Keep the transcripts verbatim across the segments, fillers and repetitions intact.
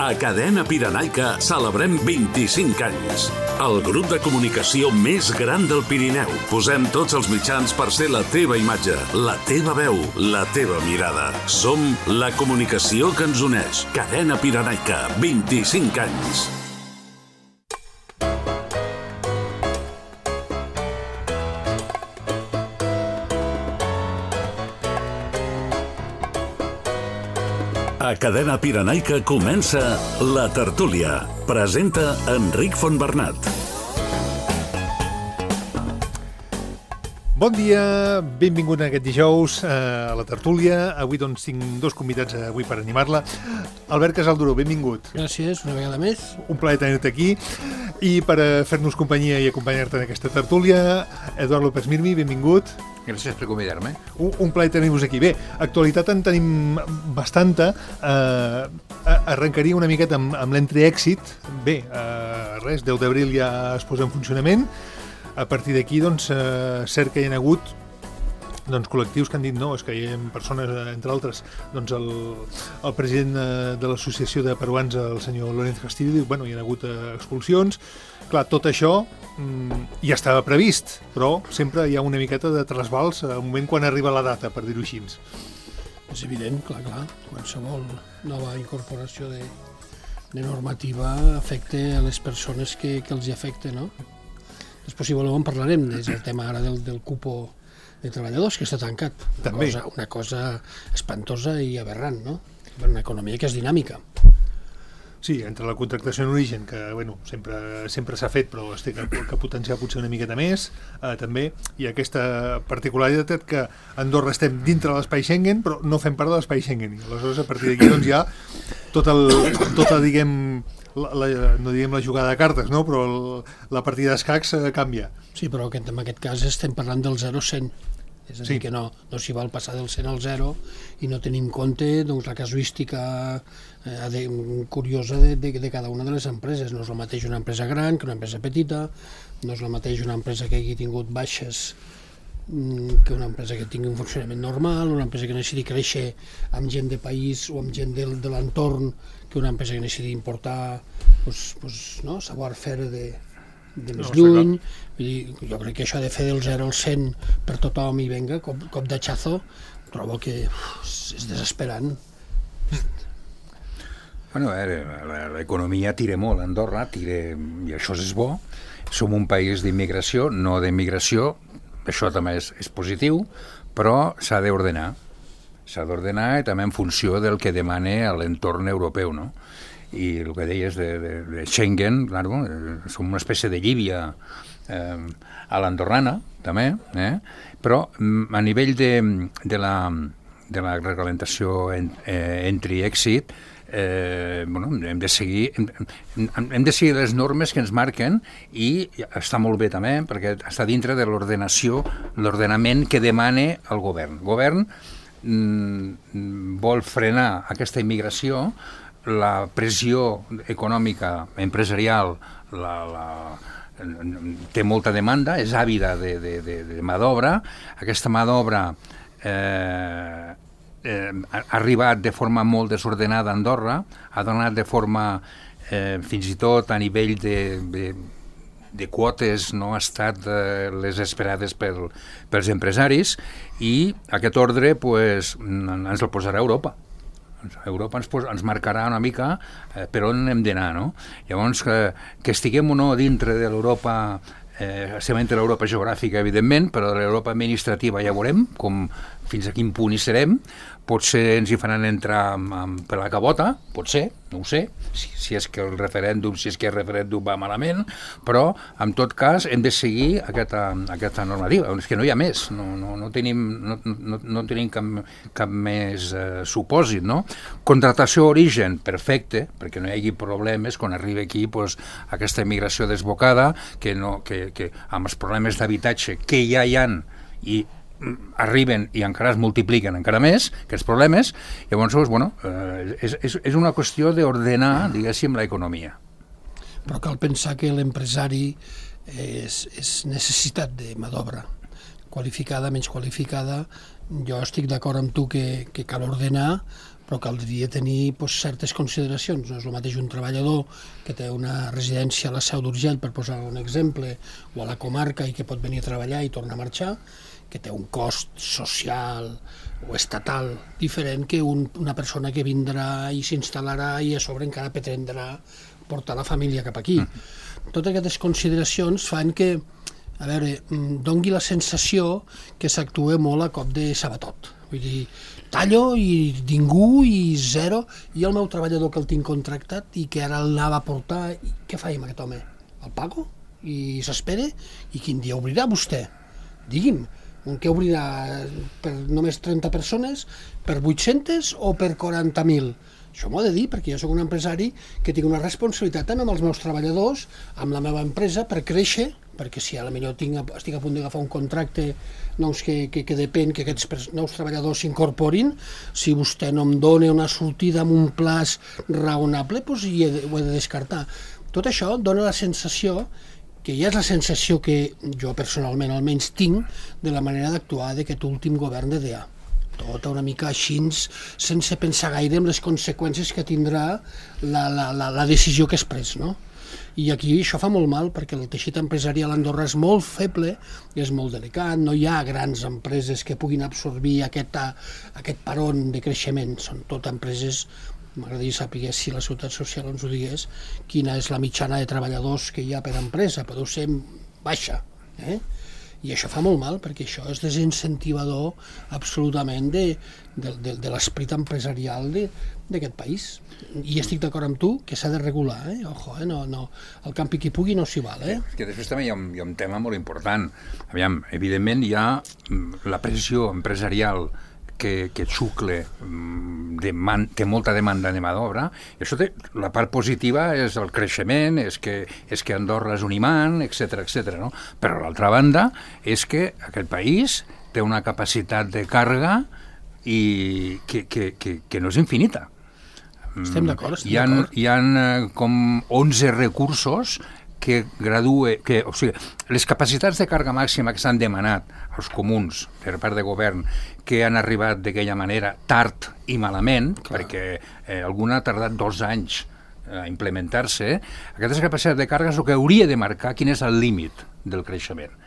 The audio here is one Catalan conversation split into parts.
A Cadena Pirenaica celebrem vint-i-cinc anys. El grup de comunicació més gran del Pirineu. Posem tots els mitjans per ser la teva imatge, la teva veu, la teva mirada. Som la comunicació que ens uneix. Cadena Pirenaica, vint-i-cinc anys. A Cadena Pirenaica comença La Tertúlia. Presenta Enric Fontbernat. Bon dia, benvingut aquest dijous a La Tertúlia. Avui doncs tinc dos convidats avui per animar-la. Albert Casalduró, benvingut. Gràcies, una vegada més. Un plaer tenir-te aquí. I per fer-nos companyia i acompanyar-te en aquesta tertúlia, Eduard López Mirmi, benvingut. Gràcies per convidar-me. Un, un plaer tenir-vos aquí. Bé, actualitat en tenim bastanta. Eh, arrencaria una miqueta amb, amb l'entre-èxit. Bé, eh, res, deu d'abril ja es posa en funcionament. A partir d'aquí, doncs, eh, cert que hi ha hagut doncs, col·lectius que han dit no, és que hi ha persones, entre altres, doncs el, el president de l'Associació de Peruans, el senyor Lorenz Castillo, diu, bueno, hi ha hagut expulsions. Clar, tot això mm, ja estava previst, però sempre hi ha una miqueta de trasbals al moment quan arriba la data, per dir-ho així. És evident, clar, clar, qualsevol nova incorporació de, de normativa afecta a les persones que, que els hi afecta, no? Després, si voleu, en parlarem, és el tema ara del, del cupo de treballadors, que està tancat. Una També. Cosa, una cosa espantosa i aberrant, no? Per una economia que és dinàmica. Sí, entre la contractació en origen, que bueno, sempre sempre s'ha fet, però es té que, que potenciar potser una miqueta més, eh, també, i aquesta particularitat que a Andorra estem dintre de l'espai Schengen, però no fem part de l'espai Schengen. I aleshores, a partir d'aquí, doncs, ja tot el, tota, diguem, la, la, no diguem la jugada de cartes, no? Però el, la partida d'escacs eh, canvia. Sí, però aquest, en aquest cas estem parlant del zero a cent. És a dir, sí. que no, no s'hi val passar del cent al zero i no tenim en compte doncs, la casuística eh, de, curiosa de, de, de cada una de les empreses. No és el mateix una empresa gran que una empresa petita, no és el mateix una empresa que hagi tingut baixes que una empresa que tingui un funcionament normal, una empresa que necessiti créixer amb gent de país o amb gent de, de l'entorn, que una empresa que necessiti importar pues, pues, no, savoir-faire de, de més no, lluny. Vull dir, jo crec que això de fer del zero al cent per tothom i venga, cop, cop d'atxazo, trobo que uf, és desesperant. Bueno, eh, l'economia tira molt a Andorra, tira, i això és bo. Som un país d'immigració, no d'immigració, això també és, és positiu, però s'ha d'ordenar. S'ha d'ordenar i també en funció del que demana l'entorn europeu, no? I el que deies de, de, de Schengen, claro, eh, som una espècie de Llívia eh, a l'andorrana, també, eh? Però a nivell de, de, la, de la reglamentació en, eh, entry i exit, eh, bueno, hem de seguir hem, hem de seguir les normes que ens marquen i està molt bé també, perquè està dintre de l'ordenació, l'ordenament que demana el govern. El govern mm, vol frenar aquesta immigració, la pressió econòmica, empresarial, la, la, té molta demanda, és àvida de, de, de, de mà d'obra. Aquesta mà d'obra eh, eh, ha arribat de forma molt desordenada a Andorra, ha donat de forma, eh, fins i tot a nivell de, de, de quotes, no ha estat eh, les esperades per, pels empresaris, i aquest ordre pues, ens el posarà Europa. Europa ens, ens marcarà una mica eh, per on hem d'anar, no? Llavors, que, que estiguem o no dintre de l'Europa, eh, estem entre l'Europa geogràfica, evidentment, però de l'Europa administrativa ja veurem com, fins a quin punt hi serem. Potser ens hi faran entrar amb, amb, per la cabota, potser, no ho sé, si, si és que el referèndum, si és que el referèndum va malament, però, en tot cas, hem de seguir aquesta, aquesta normativa. És que no hi ha més, no, no, no tenim, no, no, no tenim cap, cap més eh, supòsit, no? Contractació origen, perfecte, perquè no hi hagi problemes quan arriba aquí pues, aquesta immigració desbocada, que, no, que, que amb els problemes d'habitatge que ja hi ha i arriben i encara es multipliquen encara més aquests problemes, llavors, bueno, eh, és, és, és una qüestió d'ordenar, diguéssim, l'economia. Però cal pensar que l'empresari és, és necessitat de mà d'obra, qualificada, menys qualificada. Jo estic d'acord amb tu que, que cal ordenar, però caldria tenir pues, certes consideracions. No és el mateix un treballador que té una residència a la Seu d'Urgell, per posar un exemple, o a la comarca i que pot venir a treballar i tornar a marxar, que té un cost social o estatal diferent que un, una persona que vindrà i s'instal·larà i a sobre encara pretendrà portar la família cap aquí. Totes aquestes consideracions fan que, a veure, dongui la sensació que s'actua molt a cop de sabatot. Vull dir, tallo i ningú i zero, i el meu treballador que el tinc contractat i que ara l'anava a portar, què faig amb aquest home? El pago? I s'espera? I quin dia obrirà vostè? Digui'm, un que obrirà per només trenta persones, per vuit-centes o per quaranta mil? Això m'ho ha de dir, perquè jo soc un empresari que tinc una responsabilitat tant amb els meus treballadors, amb la meva empresa, per créixer, perquè si a la millor tinc, estic a punt d'agafar un contracte doncs, que, que, que depèn que aquests nous treballadors s'incorporin, si vostè no em dona una sortida amb un plaç raonable, doncs hi he de, ho he de descartar. Tot això dona la sensació, que ja és la sensació que jo personalment almenys tinc, de la manera d'actuar d'aquest últim govern de D A. Tot una mica així, sense pensar gaire en les conseqüències que tindrà la, la, la, la decisió que es pres, no? I aquí això fa molt mal, perquè el teixit empresarial a Andorra és molt feble, és molt delicat, no hi ha grans empreses que puguin absorbir aquest, aquest paron de creixement, són tot empreses. M'agradaria saber si la Seguretat Social ens ho digués, quina és la mitjana de treballadors que hi ha per empresa, però deu ser baixa, eh? I això fa molt mal, perquè això és desincentivador absolutament de, de, de, de l'esperit empresarial d'aquest país. I estic d'acord amb tu que s'ha de regular, eh? Ojo, eh? No, no, el campi qui pugui no s'hi val, eh? És que després també hi ha, un, hi ha un tema molt important. Aviam, evidentment hi ha la pressió empresarial que, que xucle, deman, té molta demanda de mà d'obra, i això té, la part positiva és el creixement, és que, és que Andorra és un imant, etcètera, etcètera, no? Però l'altra banda és que aquest país té una capacitat de càrrega i que, que, que, que no és infinita. Estem d'acord, estem hi ha, d'acord. Hi ha com onze recursos que gradue, que, o sigui, les capacitats de càrrega màxima que s'han demanat als comuns per part de govern, que han arribat d'aquella manera tard i malament, clar, perquè eh, alguna ha tardat dos anys a implementar-se, aquestes capacitats de càrrega és el que hauria de marcar quin és el límit del creixement.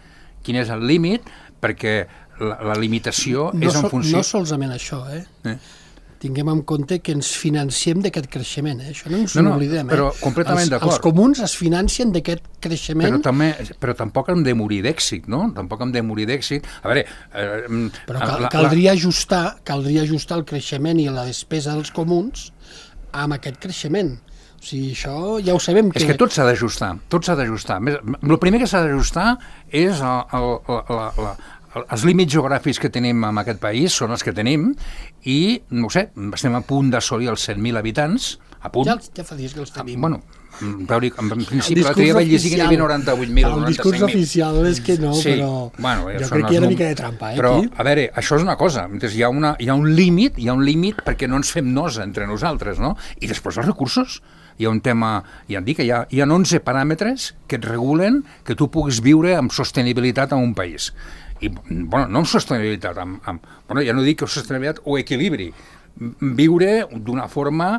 Quin és el límit, perquè la, la limitació no és en so, funció... No solament això, eh? eh? Tinguem en compte que ens financiem d'aquest creixement, eh? Això no ens no, no, oblidem. Eh? Però completament els, d'acord. Els comuns es financien d'aquest creixement. Però, també, però tampoc hem de morir d'èxit, no? Tampoc hem de morir d'èxit. A veure... Eh, però cal, la, caldria, ajustar, caldria ajustar el creixement i la despesa dels comuns amb aquest creixement. O sigui, això ja ho sabem que... És que tot s'ha d'ajustar, tot s'ha d'ajustar. El primer que s'ha d'ajustar és el, el, la, la, els límits geogràfics que tenim en aquest país són els que tenim i, no ho sé, estem a punt d'assolir els cent mil habitants, a punt. Ja, ja fa dies que els tenim. Bueno, veure, en principi l'altre dia vaig llegir que n'hi havia noranta-vuit mil, el discurs oficial és que no, sí, però bueno, jo crec que hi ha una mica de trampa, eh, però, aquí. A veure, això és una cosa, hi ha, una, hi ha un límit, hi ha un límit perquè no ens fem nosa entre nosaltres, no? I després els recursos. Hi ha un tema, ja et dic, hi ha, hi ha onze paràmetres que et regulen que tu puguis viure amb sostenibilitat en un país. I, bueno, no amb sostenibilitat, amb, amb, bueno, ja no dic sostenibilitat o equilibri, viure d'una forma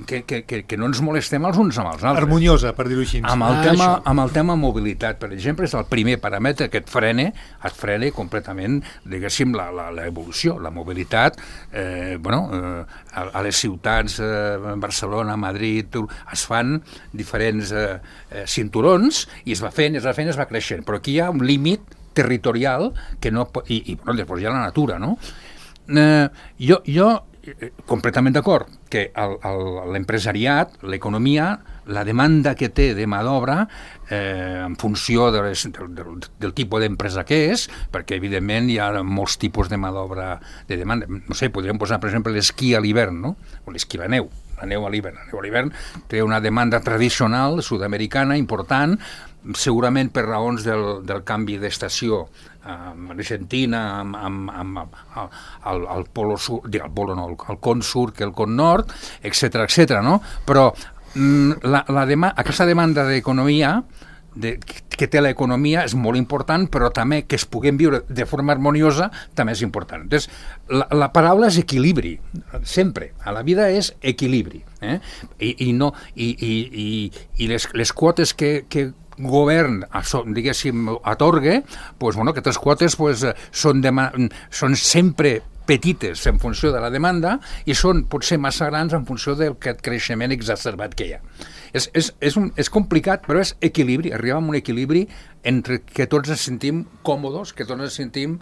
que, que, que, que no ens molestem els uns amb els altres. Harmoniosa, per dir-ho així. Amb el, Ah, tema, això. amb el tema mobilitat, per exemple, és el primer paràmetre que et frene, et frene completament, diguéssim, la, la, la evolució, la mobilitat, eh, bueno, eh, a, a les ciutats, eh, Barcelona, Madrid, es fan diferents eh, eh, cinturons, i es va fent, es va fent, es va creixent, però aquí hi ha un límit territorial que no pot, i, i bueno, després hi ha la natura, no? Eh, jo, jo eh, completament d'acord que el, el, l'empresariat, l'economia, la demanda que té de mà d'obra eh, en funció de les, del, del, del tipus d'empresa que és, perquè evidentment hi ha molts tipus de mà d'obra de demanda. No sé, podríem posar, per exemple, l'esquí a l'hivern, no? O l'esquí a la neu. La neu a l'hivern. La neu a l'hivern té una demanda tradicional sud-americana important, segurament per raons del, del canvi d'estació amb Argentina, amb, amb, amb, amb el, el polo sud, el polo no, el, el con sud que el con nord, etcètera, etcètera, no? Però mm, la, la dema, aquesta demanda d'economia de, que té l'economia és molt important, però també que es puguem viure de forma harmoniosa també és important. Entonces, la, la paraula és equilibri, sempre. A la vida és equilibri. Eh? I, i, no, i, i, i, i les, les quotes que, que govern, diguéssim, atorgue, pues, bueno, aquestes quotes pues, són, dema- són sempre petites en funció de la demanda i són potser massa grans en funció del creixement exacerbat que hi ha. És, és, és, un, és complicat, però és equilibri, arribar a un equilibri entre que tots ens sentim còmodes, que tots ens sentim,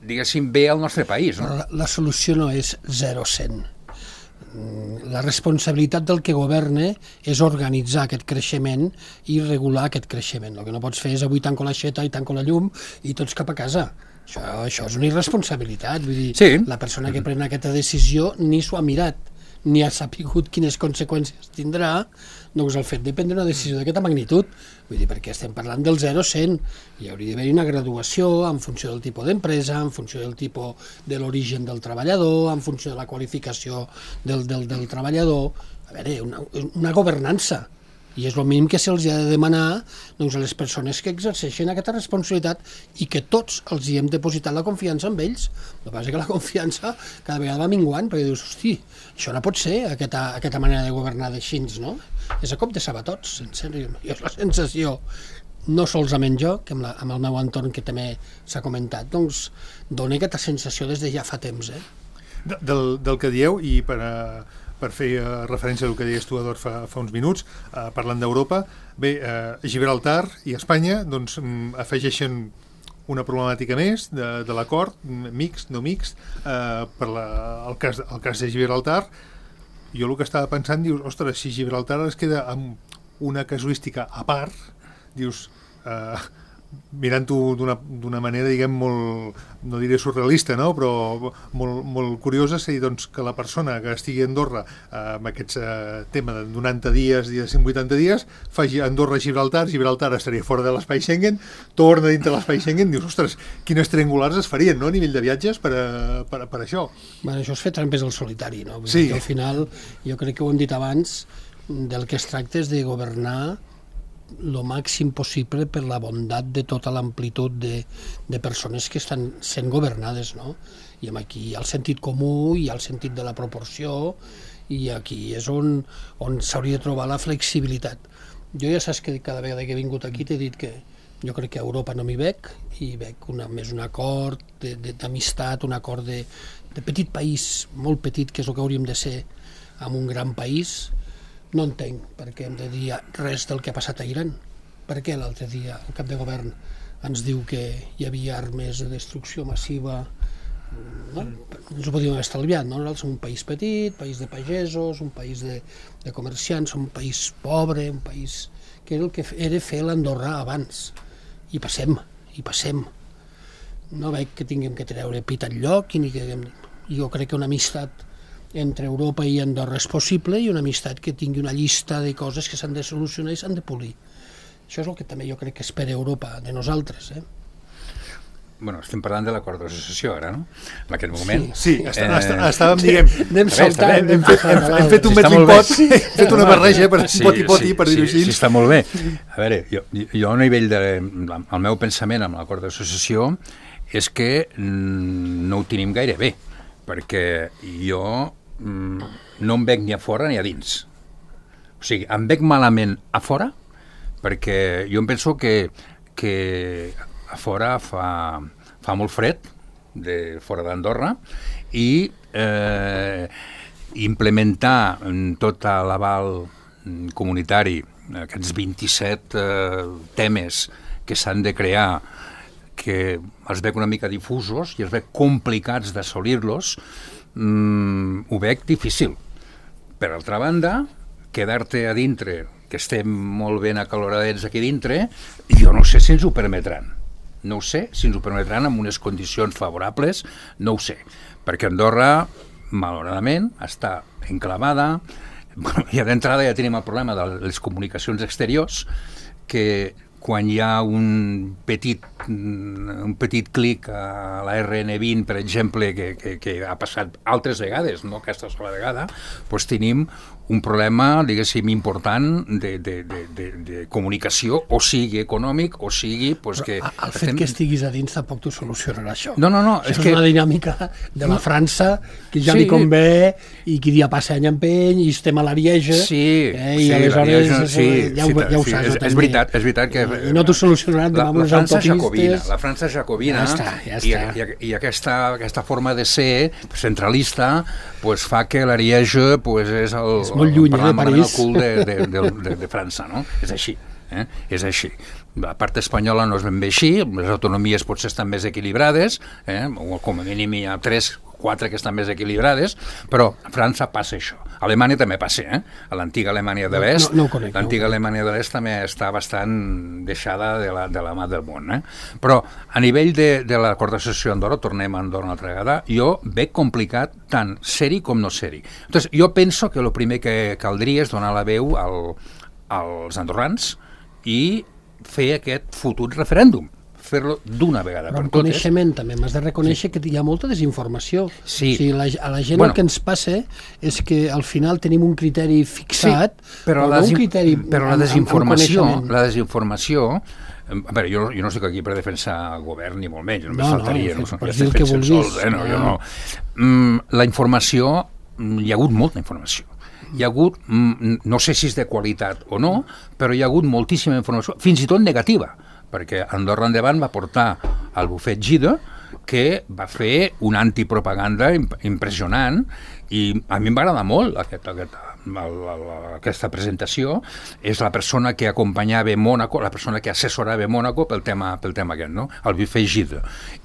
diguéssim, bé al nostre país. No? La, la solució no és zero cent. La responsabilitat del que governa és organitzar aquest creixement i regular aquest creixement. El que no pots fer és avui tanco l'aixeta i tanco la llum i tots cap a casa. Això, això és una irresponsabilitat. Vull dir, sí. La persona que pren aquesta decisió ni s'ho ha mirat, ni ha sapigut quines conseqüències tindrà, doncs el fet de prendre una decisió d'aquesta magnitud. Vull dir, perquè estem parlant del zero a cent. Hi hauria d'haver una graduació en funció del tipus d'empresa, en funció del tipus de l'origen del treballador, en funció de la qualificació del, del, del treballador. A veure, una, una governança. I és el mínim que se'ls ha de demanar doncs, a les persones que exerceixen aquesta responsabilitat i que tots els hi hem depositat la confiança en ells. El que passa és que la confiança cada vegada va minguant, perquè dius, hosti, això no pot ser, aquesta, aquesta manera de governar d'així, no? És a cop de sabatots, en sèrio. Jo és la sensació, no solament jo, que amb, la, amb el meu entorn que també s'ha comentat, doncs dona aquesta sensació des de ja fa temps. Eh? De, del, del que dieu, i per a... per fer uh, referència al que deies tu, Eduard, fa, fa uns minuts, uh, parlant d'Europa, bé, uh, Gibraltar i Espanya doncs, um, afegeixen una problemàtica més de, de l'acord, mixt, no mixt, uh, per la, el, cas, el cas de Gibraltar. Jo el que estava pensant, dius, ostres, si Gibraltar es queda amb una casuística a part, dius... Uh, mirant-ho d'una, d'una manera, diguem, molt, no diré surrealista, no? Però molt, molt curiosa, és a dir, doncs, que la persona que estigui a Andorra eh, amb aquest eh, tema de noranta dies i de cent vuitanta dies, faci Andorra-Gibraltar, Gibraltar estaria fora de l'espai Schengen, torna dintre l'espai Schengen, dius, ostres, quines triangulars es farien, no?, a nivell de viatges per, a, per, a, per això. Bueno, això és fer trampes al solitari, no? Sí. Al final, jo crec que ho hem dit abans, del que es tracta és de governar el màxim possible per la bondat de tota l'amplitud de, de persones que estan sent governades, no? I aquí hi ha el sentit comú, hi ha el sentit de la proporció, i aquí és on, on s'hauria de trobar la flexibilitat. Jo ja saps que cada vegada que he vingut aquí t'he dit que jo crec que a Europa no m'hi veig, i veig una, més un acord d'amistat, un acord de, de petit país, molt petit, que és el que hauríem de ser amb un gran país. No entenc per què hem de dir res del que ha passat a Iran. Per què l'altre dia el cap de govern ens diu que hi havia armes de destrucció massiva? No? Ens ho podíem haver estalviat, no? Nosaltres som un país petit, país de pagesos, un país de, de comerciants, som un país pobre, un país que era el que era fer l'Andorra abans. I passem, i passem. No veig que tinguem que treure pit enlloc, i ni que... Jo crec que una amistat entre Europa i Andorra és possible, i una amistat que tingui una llista de coses que s'han de solucionar i s'han de polir. Això és el que també jo crec que espera Europa de nosaltres. Eh? Bueno, estem parlant de l'acord d'associació ara, no? En aquest moment. Sí, sí està, eh... estàvem, diguem... Anem saltant. Hem, hem, fet, hem, hem fet un sí, metlimpot, hem fet una barreja per sí, poti-poti, sí, per dir-ho sí, així. Sí, està molt bé. A veure, jo, jo a nivell de... El meu pensament amb l'acord d'associació és que no ho tenim gaire bé, perquè jo no em veig ni a fora ni a dins. O sigui, em veig malament a fora, perquè jo em penso que, que a fora fa, fa molt fred, de fora d'Andorra, i eh, implementar tot l'aval comunitari, aquests vint-i-set eh, temes que s'han de crear, que els veig una mica difusos i els veig complicats d'assolir-los, Mm, ho veig difícil. Per altra banda, quedar-te a dintre, que estem molt ben acaloradets aquí dintre, jo no sé si ens ho permetran. No ho sé si ens ho permetran amb unes condicions favorables, no ho sé. Perquè Andorra, malauradament, està enclavada. Bueno, i d'entrada ja tenim el problema de les comunicacions exteriors, que quan hi ha un petit, un petit clic a la R N vint, per exemple, que, que, que ha passat altres vegades, no aquesta sola vegada, doncs tenim un problema, diguéssim, important de, de, de, de, de comunicació, o sigui econòmic, o sigui... Pues, que el fet estem... que estiguis a dins tampoc t'ho solucionarà això. No, no, no. Això és, és que... una dinàmica de la França que ja sí. li convé i qui dia passa any empeny i estem a l'Arieja sí, eh, i sí, aleshores sí, ja, ho, ja ho sí, saps. És, és veritat, és veritat que... I no t'ho solucionaran demà amb les autopistes. Jacobina, la França jacobina ja està, ja i, està. i, i aquesta, aquesta forma de ser centralista pues, fa que l'Ariège pues, és el, és molt lluny, el, eh, París. el cul de, de, de, de, de França, no? És així. Eh? És així. La part espanyola no és ben bé així, les autonomies potser estan més equilibrades, eh? O com a mínim hi ha tres, quatre que estan més equilibrades, però a França passa això. A Alemanya també passa, eh? A l'antiga Alemanya de l'Est, no, no conec, l'antiga no. Alemanya de l'Est també està bastant deixada de la, de la mà del món, eh? Però a nivell de, de l'acord d'associació Andorra, tornem a Andorra una altra vegada, jo veig complicat tant ser-hi com no ser-hi. Entonces, jo penso que el primer que caldria és donar la veu al, als andorrans i fer aquest fotut referèndum, fer-lo d'una vegada però per amb totes. coneixement també m'has de reconèixer sí. que hi ha molta desinformació. Sí. O sigui, la, a la gent bueno, el que ens passa és que al final tenim un criteri fixat, sí, però, però la no un criteri però la amb, desinformació, amb la desinformació a veure, jo, jo no estic aquí per defensar el govern ni molt menys, només no, faltaria, no, no, per no dir el que vulguis. Sols, eh? no, jo no. Mm, la informació, hi ha hagut molta informació. Hi ha hagut, no sé si és de qualitat o no, però hi ha hagut moltíssima informació, fins i tot negativa, perquè Andorra Endavant va portar el bufet Gide, que va fer una antipropaganda impressionant, i a mi em va agradar molt aquest, aquest, la, la, la, aquesta presentació. És la persona que acompanyava Mònaco, la persona que assessorava Mònaco pel tema, pel tema aquest, no? El bufet Gide.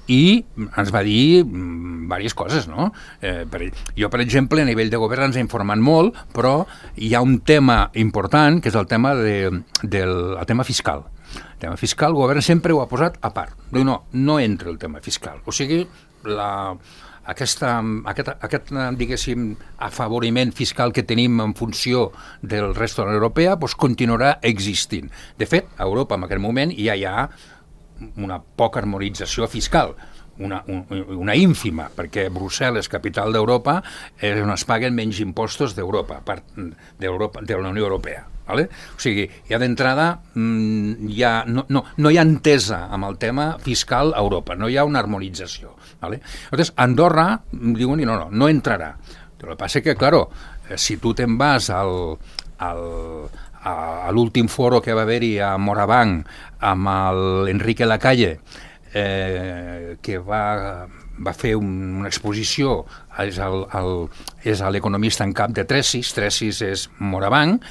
I ens va dir diverses coses, no? Eh, per, jo, per exemple, a nivell de govern ens ha informat molt, però hi ha un tema important, que és el tema, de, del, el tema fiscal. El tema fiscal, el govern sempre ho ha posat a part. Diu, no, no entra el tema fiscal. O sigui, la, aquesta, aquest, aquest, diguéssim, afavoriment fiscal que tenim en funció del resto de la Unió Europea doncs continuarà existint. De fet, a Europa en aquest moment ja hi ha una poca harmonització fiscal, una, un, una ínfima, perquè Brussel·les, capital d'Europa, és on es paguen menys impostos d'Europa, part d'Europa, de la Unió Europea. Vale? O sigui, ja d'entrada ja no, no, no hi ha entesa amb el tema fiscal a Europa, no hi ha una harmonització. Vale? Llavors, Andorra diuen no, no, no entrarà. El que passa que, claro, si tu te'n vas al, al, a l'últim foro que va haver-hi a Morabanc amb l'Enrique Lacalle, eh, que va... va fer un, una exposició, és, el, el, és l'economista en cap de Tresis, Tresis és Morabanc,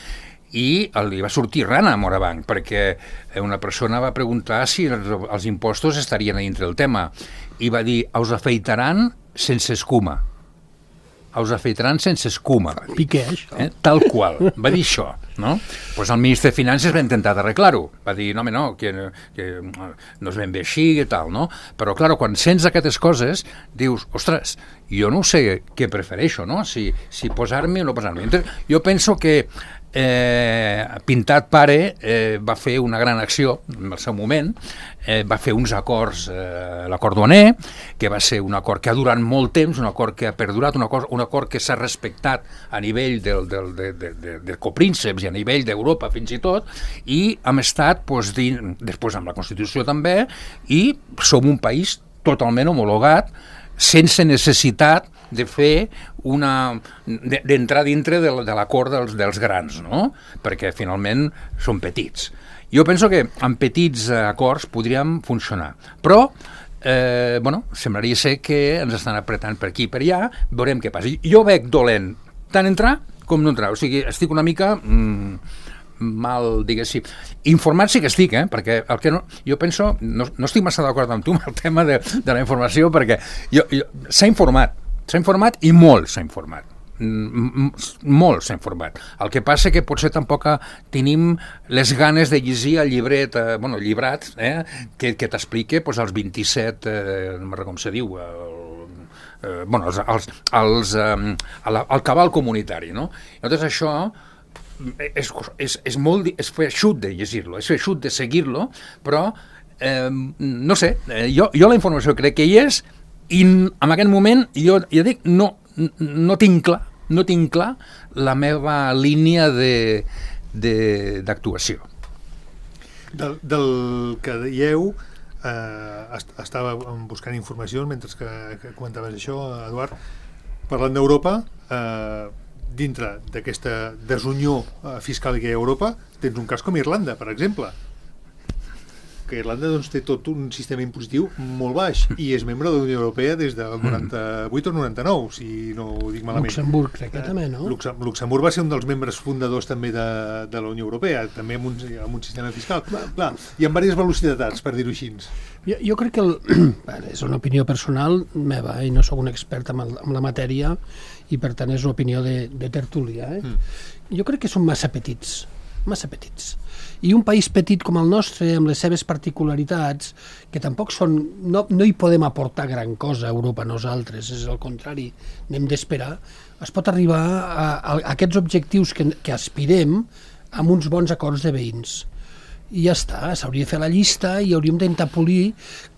i li va sortir rana a Morabanc, perquè una persona va preguntar si els, els impostos estarien a dintre del tema, i va dir, us afeitaran sense escuma. Us afeitaran sense escuma. Piqué, això. Eh? Tal qual. Va dir això, no? Pues el ministre de Finances va intentar arreglar-ho. Va dir, no, home, no, que, que no és ben bé així i tal, no? Però, clar, quan sents aquestes coses, dius, ostres, jo no sé què prefereixo, no? Si, si posar-me o no posar-me. Jo penso que Eh, Pintat Pare eh, va fer una gran acció en el seu moment, eh, va fer uns acords, eh, l'acord Duaner, que va ser un acord que ha durat molt temps, un acord que ha perdurat, un acord, un acord que s'ha respectat a nivell del, del, de, de, de, de coprínceps i a nivell d'Europa fins i tot, i hem estat doncs, dins, després amb la Constitució també, i som un país totalment homologat, sense necessitat de fer una... d'entrar dintre de, de l'acord dels, dels grans, no? Perquè finalment són petits. Jo penso que amb petits acords podríem funcionar, però eh, bueno, semblaria ser que ens estan apretant per aquí i per allà, veurem què passa. Jo veig dolent tant entrar com no entrar, o sigui, estic una mica... Mm, mal, diguéssim, informat sí que estic, eh? Perquè el que no, jo penso, no, no estic massa d'acord amb tu amb el tema de, de la informació, perquè jo, jo, s'ha informat, s'ha informat i molt s'ha informat, mm, molt s'ha informat. El que passa que potser tampoc tenim les ganes de llegir el llibret, eh, bueno, el llibrat, eh, que, que t'explica pues, els vint-i-set, eh, no me'n com se diu, el, eh, bueno, els, els, els, eh, el, el cabal comunitari, no? Llavors això És, és, és molt és feixut de llegir-lo, és feixut de seguir-lo, però eh, no sé, jo, jo la informació crec que hi és i en aquest moment jo ja dic, no, no tinc clar no tinc clar la meva línia de, de, d'actuació. Del, del que dieu, eh, est estava buscant informació mentre que, que comentaves això, Eduard, parlant d'Europa, eh, dintre d'aquesta desunió eh, fiscal que hi ha a Europa, tens un cas com Irlanda, per exemple, que Irlanda doncs, té tot un sistema impositiu molt baix i és membre de la Unió Europea des del noranta-vuit o noranta-nou, si no ho dic malament. Luxemburg, crec que eh, també, no? Luxem Luxemburg va ser un dels membres fundadors també de, de la Unió Europea, també amb un, amb un sistema fiscal. Clar, hi ha diverses velocitats, per dir-ho així. Jo, jo crec que, el, és una opinió personal meva, i no sóc un expert en, el, en la matèria, i per tant és una opinió de, de tertúlia. Eh? Mm. Jo crec que són massa petits, massa petits. I un país petit com el nostre, amb les seves particularitats, que tampoc són... No, no hi podem aportar gran cosa a Europa nosaltres, és al contrari, n'hem d'esperar, es pot arribar a, a, a aquests objectius que, que aspirem amb uns bons acords de veïns. I ja està, s'hauria de fer la llista i hauríem d'intentar polir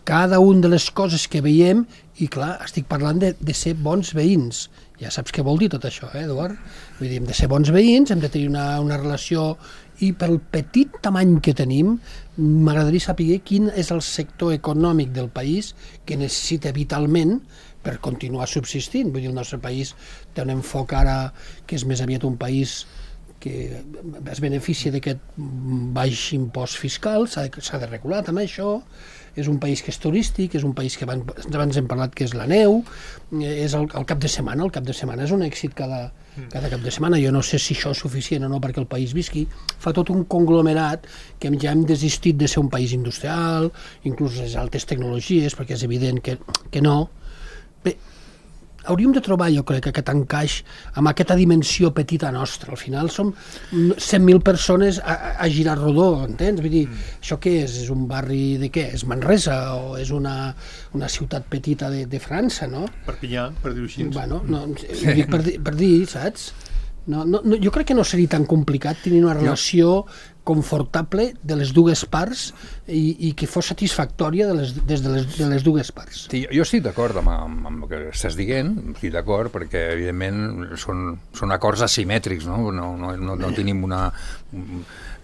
cada una de les coses que veiem i, clar, estic parlant de, de ser bons veïns. Ja saps què vol dir tot això, eh, Eduard? Vull dir, hem de ser bons veïns, hem de tenir una, una relació... I pel petit tamany que tenim, m'agradaria saber quin és el sector econòmic del país que necessita vitalment per continuar subsistint. Vull dir, el nostre país té un enfoc ara que és més aviat un país que es beneficia d'aquest baix impost fiscal, s'ha de, s'ha de regular també això, és un país que és turístic, és un país que abans, abans hem parlat que és la neu, és el, el cap de setmana, el cap de setmana és un èxit cada, cada cap de setmana. Jo no sé si això és suficient o no perquè el país visqui. Fa tot un conglomerat que ja hem desistit de ser un país industrial, inclús les altes tecnologies, perquè és evident que, que no. Bé, hauríem de trobar, jo crec, aquest encaix amb aquesta dimensió petita nostra. Al final som cent mil persones a, a girar rodó, entens? Vull dir, mm. això què és? És un barri de què? És Manresa o és una, una ciutat petita de, de França, no? Perpinyà, per dir-ho així. Bueno, no, sí. dic per, per dir, saps? No, no, no, jo crec que no seria tan complicat tenir una relació confortable de les dues parts i, i que fos satisfactòria de les, des de les, de les dues parts. Sí, jo estic d'acord amb, amb, amb el que estàs dient, estic d'acord, perquè evidentment són, són acords asimètrics, no? No, no, no, no tenim una...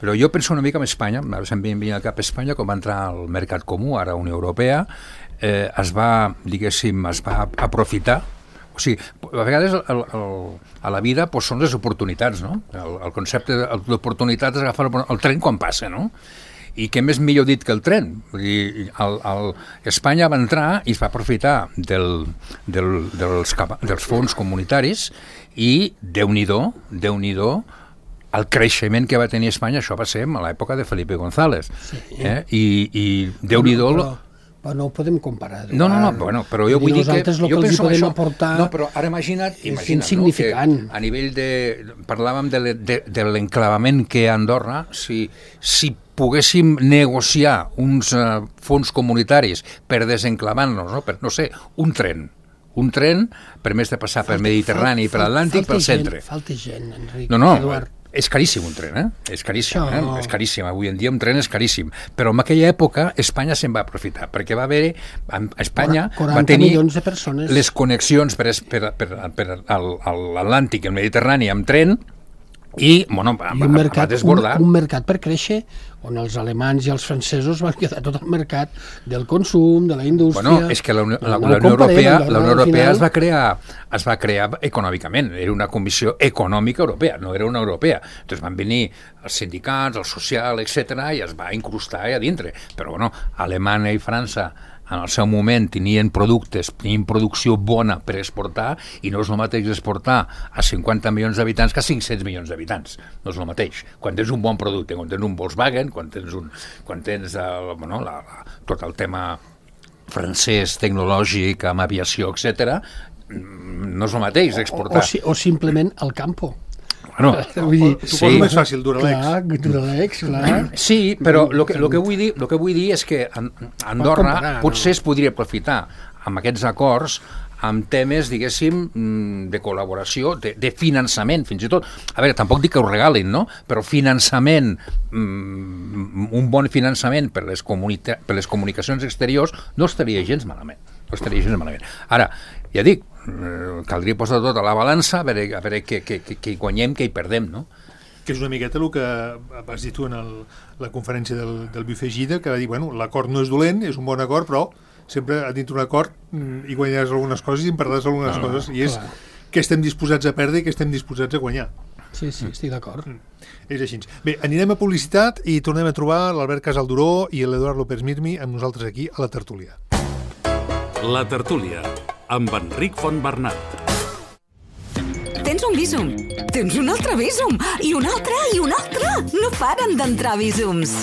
Però jo penso una mica en Espanya, se'm venia al cap a Espanya, com va entrar al Mercat Comú, ara Unió Europea, eh, es va, diguéssim, es va aprofitar. O sigui, a vegades el, el, a la vida doncs, són les oportunitats, no? El, el concepte d'oportunitat és agafar el, el tren quan passa, no? I què més millor dit que el tren? Vull dir, el, el, Espanya va entrar i es va aprofitar del, del, dels, dels fons comunitaris i Déu-n'hi-do, Déu-n'hi-do, el creixement que va tenir Espanya, això va ser a l'època de Felipe González. Sí. Eh? I, i Déu-n'hi-do... Però, però no ho podem comparar. No, no, no, bueno, però jo vull dir que... Nosaltres el que els podem aportar... No, però ara imagina't, imagina't és insignificant. No, que a nivell de... Parlàvem de, de, de l'enclavament que hi ha a Andorra, si, si poguéssim negociar uns uh, fons comunitaris per desenclavar-nos, no? Per, no sé, un tren, un tren per més de passar pel Mediterrani i per l'Atlàntic, pel centre. Falta gent, Enric, no, no, Eduard. És caríssim un tren, eh? És caríssim, eh? És caríssim. Avui en dia un tren és caríssim. Però en aquella època Espanya se'n va aprofitar, perquè va haver... Espanya va tenir les connexions per, per, per, per l'Atlàntic i el Mediterrani amb tren i, bueno, va, I un, mercat, va desbordar. Un, un mercat per créixer on els alemanys i els francesos van quedar tot el mercat del consum, de la indústria... Bueno, és que la Unió, la, la Unió Europea, la Unió Europea es va crear es va crear econòmicament, era una comissió econòmica europea, no era una europea. Entonces van venir els sindicats, el social, etcètera, i es va incrustar allà dintre. Però, bueno, Alemanya i França en el seu moment tenien productes, tenien producció bona per exportar i no és el mateix exportar a cinquanta milions d'habitants que a cinc-cents milions d'habitants. No és el mateix. Quan tens un bon producte, quan tens un Volkswagen, quan tens, un, quan tens el, bueno, la, la, tot el tema francès, tecnològic, amb aviació, etcètera, no és el mateix exportar. O, o, si, o simplement el campo. Bueno, vull dir, suposo sí. més fàcil, Duralex. Clar, Duralex, clar. Sí, però el que, lo que, vull dir, lo que vull dir és que Andorra comparar, potser no? es podria aprofitar amb aquests acords amb temes, diguéssim, de col·laboració, de, de finançament, fins i tot. A veure, tampoc dic que ho regalin, no? Però finançament, un bon finançament per les, per les comunicacions exteriors no estaria gens malament. No estaria gens malament. Ara, ja dic, eh, caldria posar tot a la balança, a veure, a veure què, què, què, què hi guanyem, què hi perdem, no? Que és una miqueta el que vas dir tu en el, la conferència del, del Buffet Gida, que va dir, bueno, l'acord no és dolent, és un bon acord, però sempre a dintre d'un acord hi guanyaràs algunes coses i en perdràs algunes no, coses, i és clar. Que estem disposats a perdre i que estem disposats a guanyar. Sí, sí, estic d'acord. Mm. És així. Bé, anirem a publicitat i tornem a trobar l'Albert Casalduró i l'Eduard López Mirmi amb nosaltres aquí a la tertúlia. La tertúlia, amb Enric Fontbernat. Tens un Bizum, tens un altre Bizum, i un altre, i un altre. No paren d'entrar Bizums.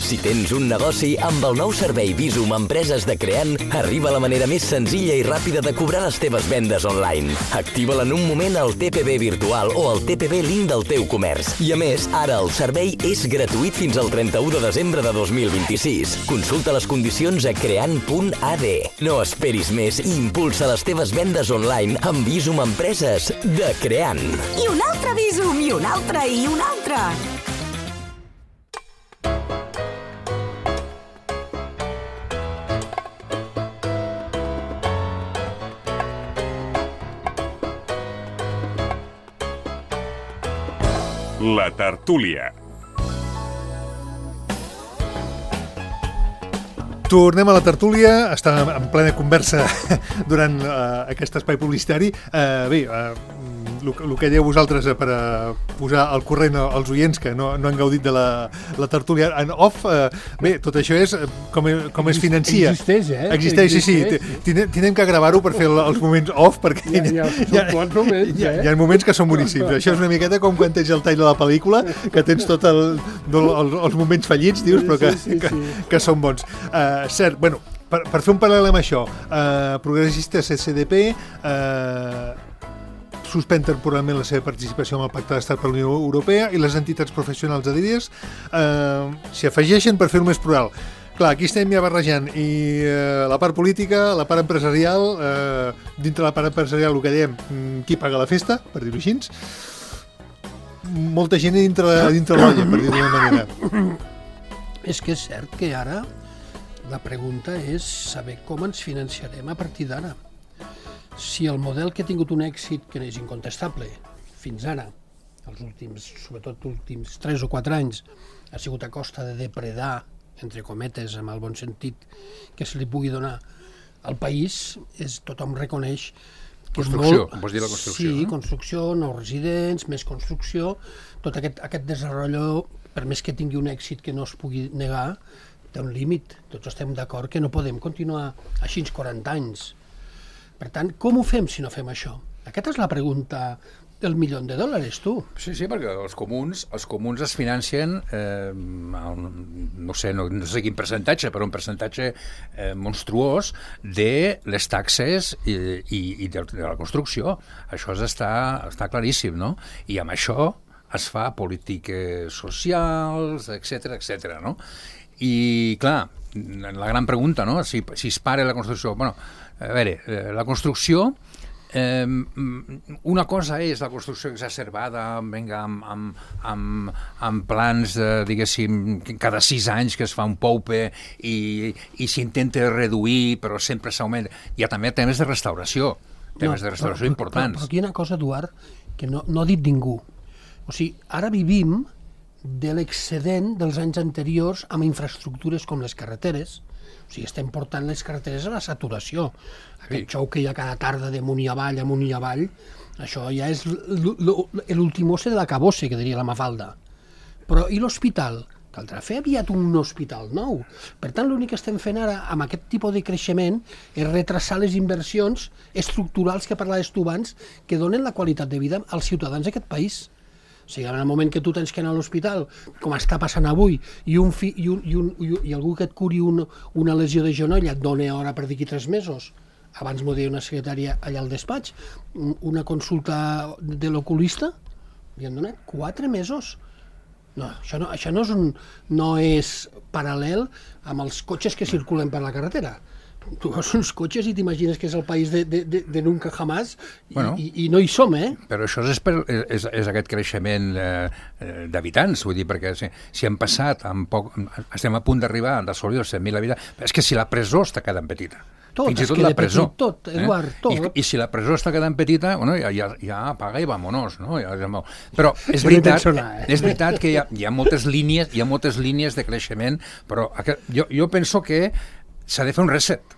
Si tens un negoci, amb el nou servei Bizum Empreses de Creant, arriba la manera més senzilla i ràpida de cobrar les teves vendes online. Activa-la en un moment al T P B virtual o al T P B link del teu comerç. I a més, ara el servei és gratuït fins al trenta-u de desembre de dos mil vint-i-sis. Consulta les condicions a creant punt a d. No esperis més i impulsa les teves vendes online amb Bizum Empreses de Creant. I un altre Bizum, i un altre, i un altre. La tertúlia. Tornem a la tertúlia, estàvem en plena conversa durant uh, aquest espai publicitari. Uh, bé, uh, el que dèieu vosaltres per a posar al corrent als oients que no, no han gaudit de la, la tertúlia en off, uh, bé, tot això és com, com es financia. Existeix, eh? Existeix, sí, sí. Tinem, tinem que gravar-ho per fer els moments off, perquè ja, ja, hi, ha, moments, hi, ha, eh? hi ha moments que són boníssims. Això és una miqueta com quan tens el tall de la pel·lícula, que tens tot el, el, els moments fallits, dius, però que, sí, sí, sí. que, que són bons. Uh, cert, bueno, per, per fer un paral·lel amb això, uh, Progressistes C C D P uh, suspèn temporalment la seva participació en el Pacte d'Estat per la Unió Europea i les entitats professionals adherides uh, s'hi afegeixen per fer-ho més plural. Clar, aquí estem ja barrejant i uh, la part política, la part empresarial, uh, dintre la part empresarial el que dèiem, qui paga la festa, per dir-ho així, molta gent dintre, dintre l'olla, per dir-ho d'una manera. És que és cert que ara la pregunta és saber com ens financiarem a partir d'ara. Si el model que ha tingut un èxit, que és incontestable, fins ara, els últims, sobretot els últims tres o quatre anys, ha sigut a costa de depredar, entre cometes, amb el bon sentit que se li pugui donar al país, és, tothom reconeix que construcció, és molt... vols dir la construcció? Sí, no? construcció, nous residents, més construcció, tot aquest, aquest desenvolupament, per més que tingui un èxit que no es pugui negar, té un límit. Tots estem d'acord que no podem continuar així quaranta anys. Per tant, com ho fem si no fem això? Aquesta és la pregunta del milió de dòlars, tu. Sí, sí, perquè els comuns, els comuns es financien, eh, no sé, no, no sé quin percentatge, però un percentatge eh, monstruós de les taxes i, i, i de, de la construcció. Això està, està claríssim, no? I amb això es fa polítiques socials, etcètera, etcètera, no? I, clar, la gran pregunta, no? Si, si es para la construcció... Bueno, a veure, la construcció, eh, una cosa és la construcció exacerbada, venga, amb, amb, amb, amb plans, de, diguéssim, cada sis anys que es fa un poupe i, i s'intenta reduir, però sempre s'augmenta. Hi ha també temes de restauració, temes no, de restauració però, importants. Però, però aquí hi ha una cosa, Eduard, que no, no ha dit ningú. O sigui, ara vivim de l'excedent dels anys anteriors amb infraestructures com les carreteres. O sigui, estem portant les carreteres a la saturació. Aquest sí. Xou que hi ha cada tarda de munt i avall, amunt i avall, això ja és l'ultimose de la cabosse, que diria la Mafalda. Però i l'hospital? Caldrà fer aviat un hospital nou. Per tant, l'únic que estem fent ara amb aquest tipus de creixement és retrasar les inversions estructurals que parlaves tu abans, que donen la qualitat de vida als ciutadans d'aquest país. O sigui, en el moment que tu tens que anar a l'hospital, com està passant avui, i, un fi, i, un, i, un, i algú que et curi un, una lesió de genoll et dona hora per d'aquí tres mesos, abans m'ho deia una secretària allà al despatx, una consulta de l'oculista, li han donat quatre mesos. No, això no, això no, és un, no és paral·lel amb els cotxes que circulen per la carretera. Tu veus uns cotxes i t'imagines que és el país de, de, de, de nunca jamás i, bueno, i, i no hi som, eh? Però això és, per, és, és aquest creixement eh, d'habitants, vull dir, perquè si, si hem passat, en poc, estem a punt d'arribar, d'assolir els cent mil habitants, és que si la presó està quedant petita. Tot, fins i es tot queda la presó. petit, tot, Eduard, tot. I, I si la presó està quedant petita, bueno, ja, ja, ja apaga i vámonos, no? Ja, ja, però és Ja no veritat, sonar, eh? és veritat que hi ha, hi ha moltes línies, hi ha moltes línies de creixement, però aqu- jo, jo penso que s'ha de fer un reset.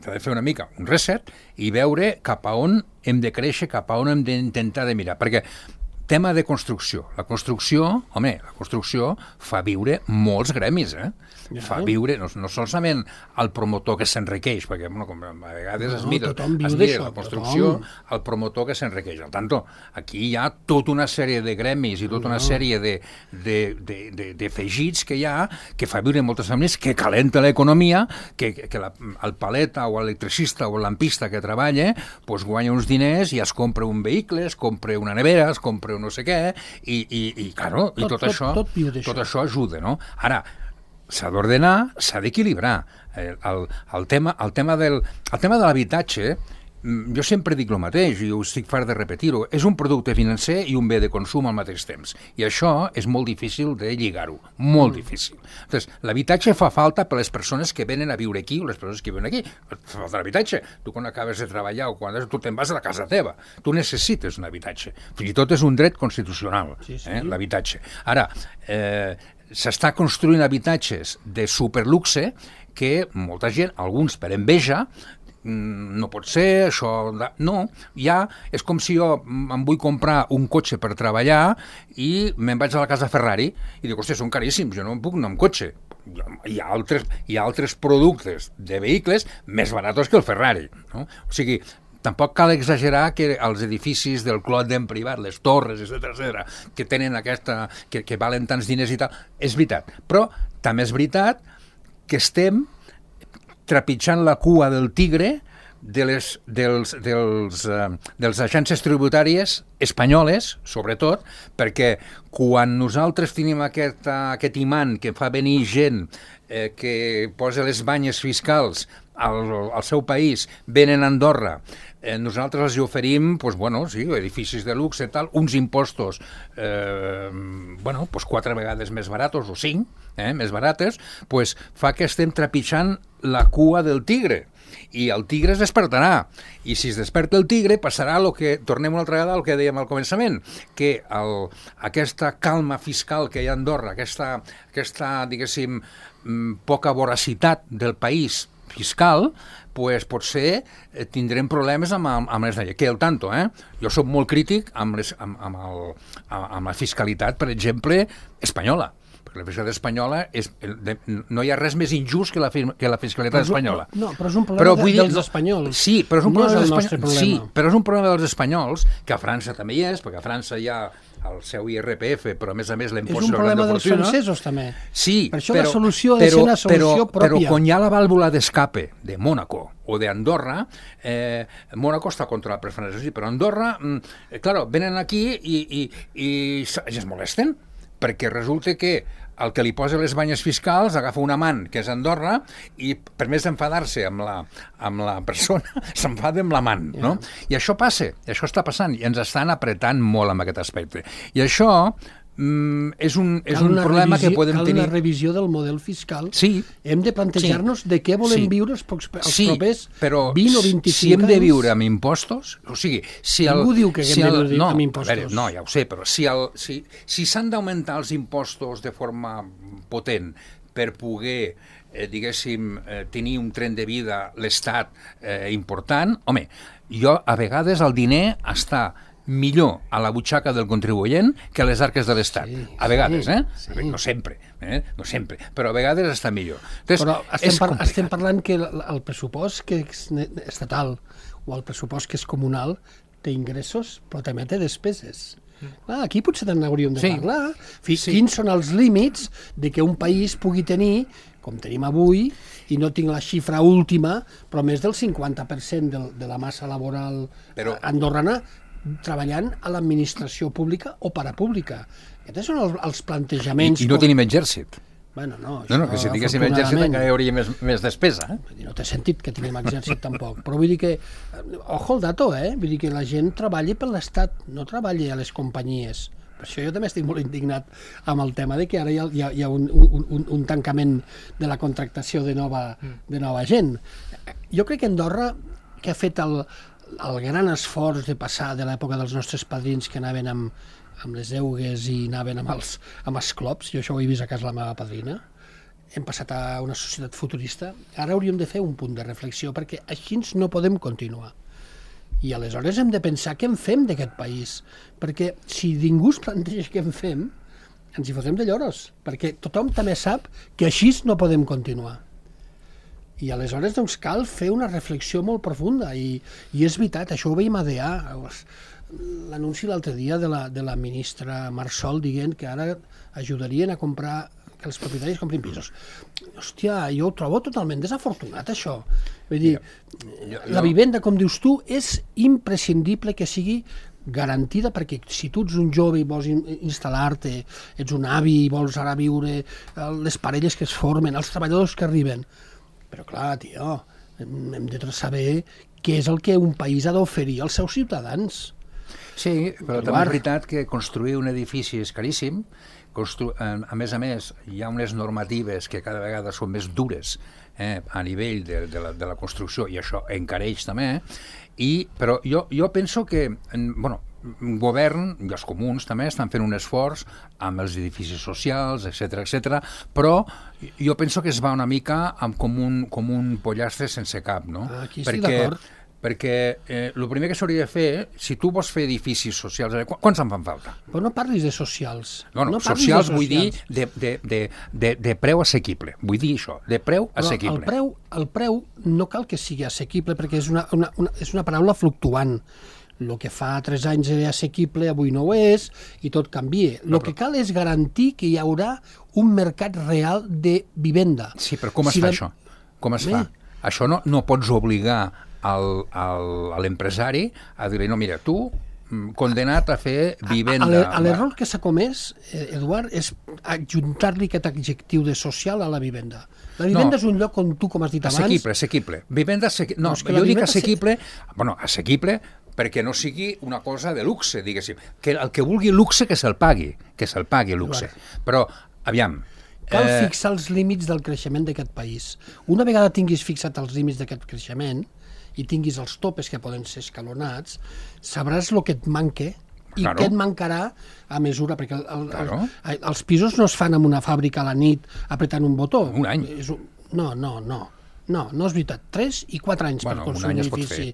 S'ha de fer una mica un reset i veure cap a on hem de créixer, cap a on hem d'intentar de mirar. Perquè tema de construcció. La construcció, home, la construcció fa viure molts gremis, eh? Ja. Fa viure, no, no solament el promotor que s'enriqueix, perquè bueno, com a vegades No, es mira, tothom viu es mira d'això, la construcció, tothom. el promotor que s'enriqueix. Per tant, aquí hi ha tota una sèrie de gremis i tota una sèrie de, de, de, de, d'afegits que hi ha que fa viure moltes famílies, que calenta l'economia, que, que la, el paleta o l'electricista o el lampista que treballa pues, guanya uns diners i es compra un vehicle, es compra una nevera, es compra un no sé què, i, i, i, claro, i Tot- tot, tot- això, tot viu d'això. tot això ajuda, no? Ara, s'ha d'ordenar, s'ha d'equilibrar. El, el, el, tema, el, tema del, el tema de l'habitatge, mm, jo sempre dic el mateix, i ho estic fart de repetir-ho, és un producte financer i un bé de consum al mateix temps. I això és molt difícil de lligar-ho, molt mm. difícil. Entonces, l'habitatge fa falta per les persones que venen a viure aquí o les persones que viuen aquí. Fa falta l'habitatge. Tu quan acabes de treballar o quan tu te'n vas a la casa teva, tu necessites un habitatge. Fins i tot és un dret constitucional, Sí, sí. eh, l'habitatge. Ara, eh, s'està construint habitatges de superluxe que molta gent, alguns per enveja, no pot ser, això... No, ja és com si jo em vull comprar un cotxe per treballar i me'n vaig a la casa Ferrari i dic, hòstia, són caríssims, jo no em puc anar amb cotxe. Hi ha altres, hi ha altres productes de vehicles més baratos que el Ferrari, no? O sigui, tampoc cal exagerar que els edificis del Clot d'en privat, les torres, etcètera, etcètera, que tenen aquesta... Que, que valen tants diners i tal, és veritat. Però també és veritat que estem trepitjant la cua del tigre de les, dels, dels, eh, dels agències tributàries espanyoles, sobretot, perquè quan nosaltres tenim aquest, aquest imant que fa venir gent eh, que posa les banyes fiscals al, al seu país, venen a Andorra, eh, nosaltres els oferim pues, bueno, sí, edificis de luxe i tal, uns impostos eh, bueno, pues, quatre vegades més baratos o cinc, eh, més barates, pues, fa que estem trepitjant la cua del tigre. I el tigre es despertarà, i si es desperta el tigre passarà el que, tornem una altra vegada al que dèiem al començament, que el, aquesta calma fiscal que hi ha a Andorra, aquesta, aquesta diguéssim, poca voracitat del país fiscal, pues potser eh, tindrem problemes amb, amb les lleis. Que el tanto, eh? Jo soc molt crític amb, les, amb, amb, el, amb la fiscalitat, per exemple, espanyola. La fiscalitat espanyola és, de, no hi ha res més injust que la, que la fiscalitat espanyola. No, però és un problema però, de, dir, dels no, espanyols. Sí, però és un no problema és dels el nostre espanyols. problema. Sí, però és un problema dels espanyols, que a França també hi és, perquè a França hi ha el seu I R P F, però a més a més l'impost És un sobre la problema dels fortuna. francesos, també. Sí, per això però, la solució ha de però, ser una solució però, pròpia. Però quan hi ha la vàlvula d'escape de Mònaco o d'Andorra, eh, Mònaco està contra la preferència, però Andorra, eh, claro, venen aquí i, i, i, i es molesten, perquè resulta que el que li posa les banyes fiscals agafa un amant, que és Andorra, i per més d'enfadar-se amb la, amb la persona, s'enfada amb l'amant, no? Yeah. I això passa, això està passant, i ens estan apretant molt amb aquest aspecte. I això mm, és un, és un problema revisió, que podem cal tenir... Cal una revisió del model fiscal. Sí. Hem de plantejar-nos sí. de què volem sí. viure els, pocs, els sí, propers però vint o vint-i-cinc si hem de anys. viure amb impostos, o sigui... Si el, Ningú diu que si hem el, de viure no, amb impostos. Veure, no, ja ho sé, però si s'han si, si s'han d'augmentar els impostos de forma potent per poder, eh, diguéssim, eh, tenir un tren de vida l'Estat eh, important, home, jo a vegades el diner està millor a la butxaca del contribuent que a les arques de l'Estat. Sí, a vegades, sí, eh? Sí. No sempre, eh? No sempre, però a vegades està millor. Entonces, però estem, par estem parlant que el, el pressupost que és estatal o el pressupost que és comunal té ingressos, però també té despeses. Ah, aquí potser també hauríem de sí. parlar. Fins, sí. Quins són els límits de que un país pugui tenir, com tenim avui, i no tinc la xifra última, però més del cinquanta per cent de, de la massa laboral però... andorrana treballant a l'administració pública o parapública. Aquests són els, els plantejaments... I, i no com... tenim exèrcit. Bueno, no, no, no, que si tinguéssim exèrcit encara hi hauria més, més despesa. Eh? No té sentit que tinguem exèrcit tampoc, però vull dir que, ojo el dato, eh? Vull dir que la gent treballi per l'Estat, no treballi a les companyies, Per això jo també estic molt indignat amb el tema de que ara hi ha, hi ha, hi ha un, un, un, un tancament de la contractació de nova, de nova gent. Jo crec que Andorra, que ha fet el, el gran esforç de passar de l'època dels nostres padrins que anaven amb, amb les eugues i anaven amb els, amb els clops, jo això ho he vist a casa la meva padrina, hem passat a una societat futurista, ara hauríem de fer un punt de reflexió perquè així no podem continuar. I aleshores hem de pensar què en fem d'aquest país, perquè si ningú es planteja què en fem, ens hi fotem de lloros, perquè tothom també sap que així no podem continuar. I aleshores doncs, cal fer una reflexió molt profunda, i, i és veritat, això ho veiem a D A, l'anunci l'altre dia de la, de la ministra Marsol dient que ara ajudarien a comprar que els propietaris comprin pisos. Hòstia, jo ho trobo totalment desafortunat, això. Vull dir, la vivenda, com dius tu, és imprescindible que sigui garantida, perquè si tu ets un jove i vols instal·lar-te, ets un avi i vols ara viure, les parelles que es formen, els treballadors que arriben. Però clar, tio, hem de saber què és el que un país ha d'oferir als seus ciutadans. Sí, però també és veritat que construir un edifici és caríssim. Constru... A més a més, hi ha unes normatives que cada vegada són més dures eh, a nivell de, de, la, de la construcció, i això encareix també, i, però jo, jo penso que bueno, el govern i els comuns també estan fent un esforç amb els edificis socials, etcètera, etcètera, però jo penso que es va una mica amb com, un, com un pollastre sense cap, no? Aquí estic d'acord. Perquè eh, el primer que s'hauria de fer, si tu vols fer edificis socials, qu quants en fan falta? Però no parlis de socials. No, no, no socials de vull dir de, de, de, de, de preu assequible. Vull dir això, de preu Però assequible. El preu, el preu no cal que sigui assequible, perquè és una, una, una, és una paraula fluctuant. El que fa tres anys era assequible, avui no ho és, i tot canvia. El no, que cal és garantir que hi haurà un mercat real de vivenda. Sí, però com es si fa la... això? Com es Bé. fa? Això no, no pots obligar al, al, a l'empresari a dir-li, no, mira, tu condenat a fer vivenda. A l'error que s'ha comès, Eduard, és adjuntar-li aquest adjectiu de social a la vivenda. La vivenda no, és un lloc on tu, com has dit abans... Assequible, assequible. Vivenda assequible. No, no jo dic assequible... Se... Bueno, assequible perquè no sigui una cosa de luxe, diguéssim. Que el que vulgui luxe, que se'l pagui. Que se'l pagui luxe. Però, aviam... Cal eh... fixar els límits del creixement d'aquest país. Una vegada tinguis fixat els límits d'aquest creixement i tinguis els topes que poden ser escalonats, sabràs el que et manque i claro. què et mancarà a mesura, perquè el, el, claro. el, els pisos no es fan en una fàbrica a la nit apretant un botó. Un any. És un... No, no, no. No, no és veritat. Tres i quatre anys bueno, per construir un, un edifici.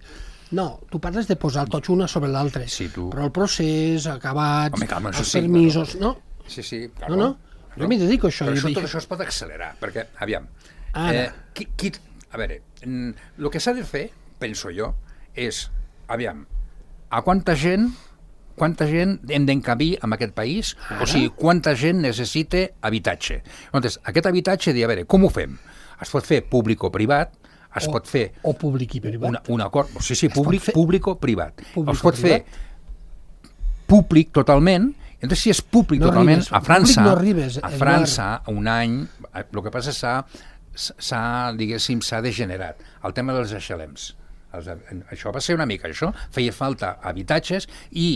No, tu parles de posar tots una sobre l'altre. Sí, tu... Però el procés, acabats, Home, calma, els sí, permisos... però... No? Sí, sí, claro. No, no. Jo m'hi dedico a això. Però això, tot això es pot accelerar, perquè, aviam, Ara. eh, qui, qui, a veure, el que s'ha de fer, penso jo, és, aviam, a quanta gent quanta gent hem d'encabir en aquest país, Ara? O sigui, quanta gent necessita habitatge. Llavors, aquest habitatge, dir, a veure, com ho fem? Es pot fer públic o privat, es o, pot fer... O públic i privat. Una, un acord, sí, sí, públic, fer... públic o privat. Públic es pot fer privat. Públic totalment. Entonces, si és públic no totalment, arribes, a França, no arribes, a França, un any, el que passa s'ha, s'ha, diguéssim, s'ha degenerat. El tema dels H L Ms. Els, això va ser una mica això. Feia falta habitatges i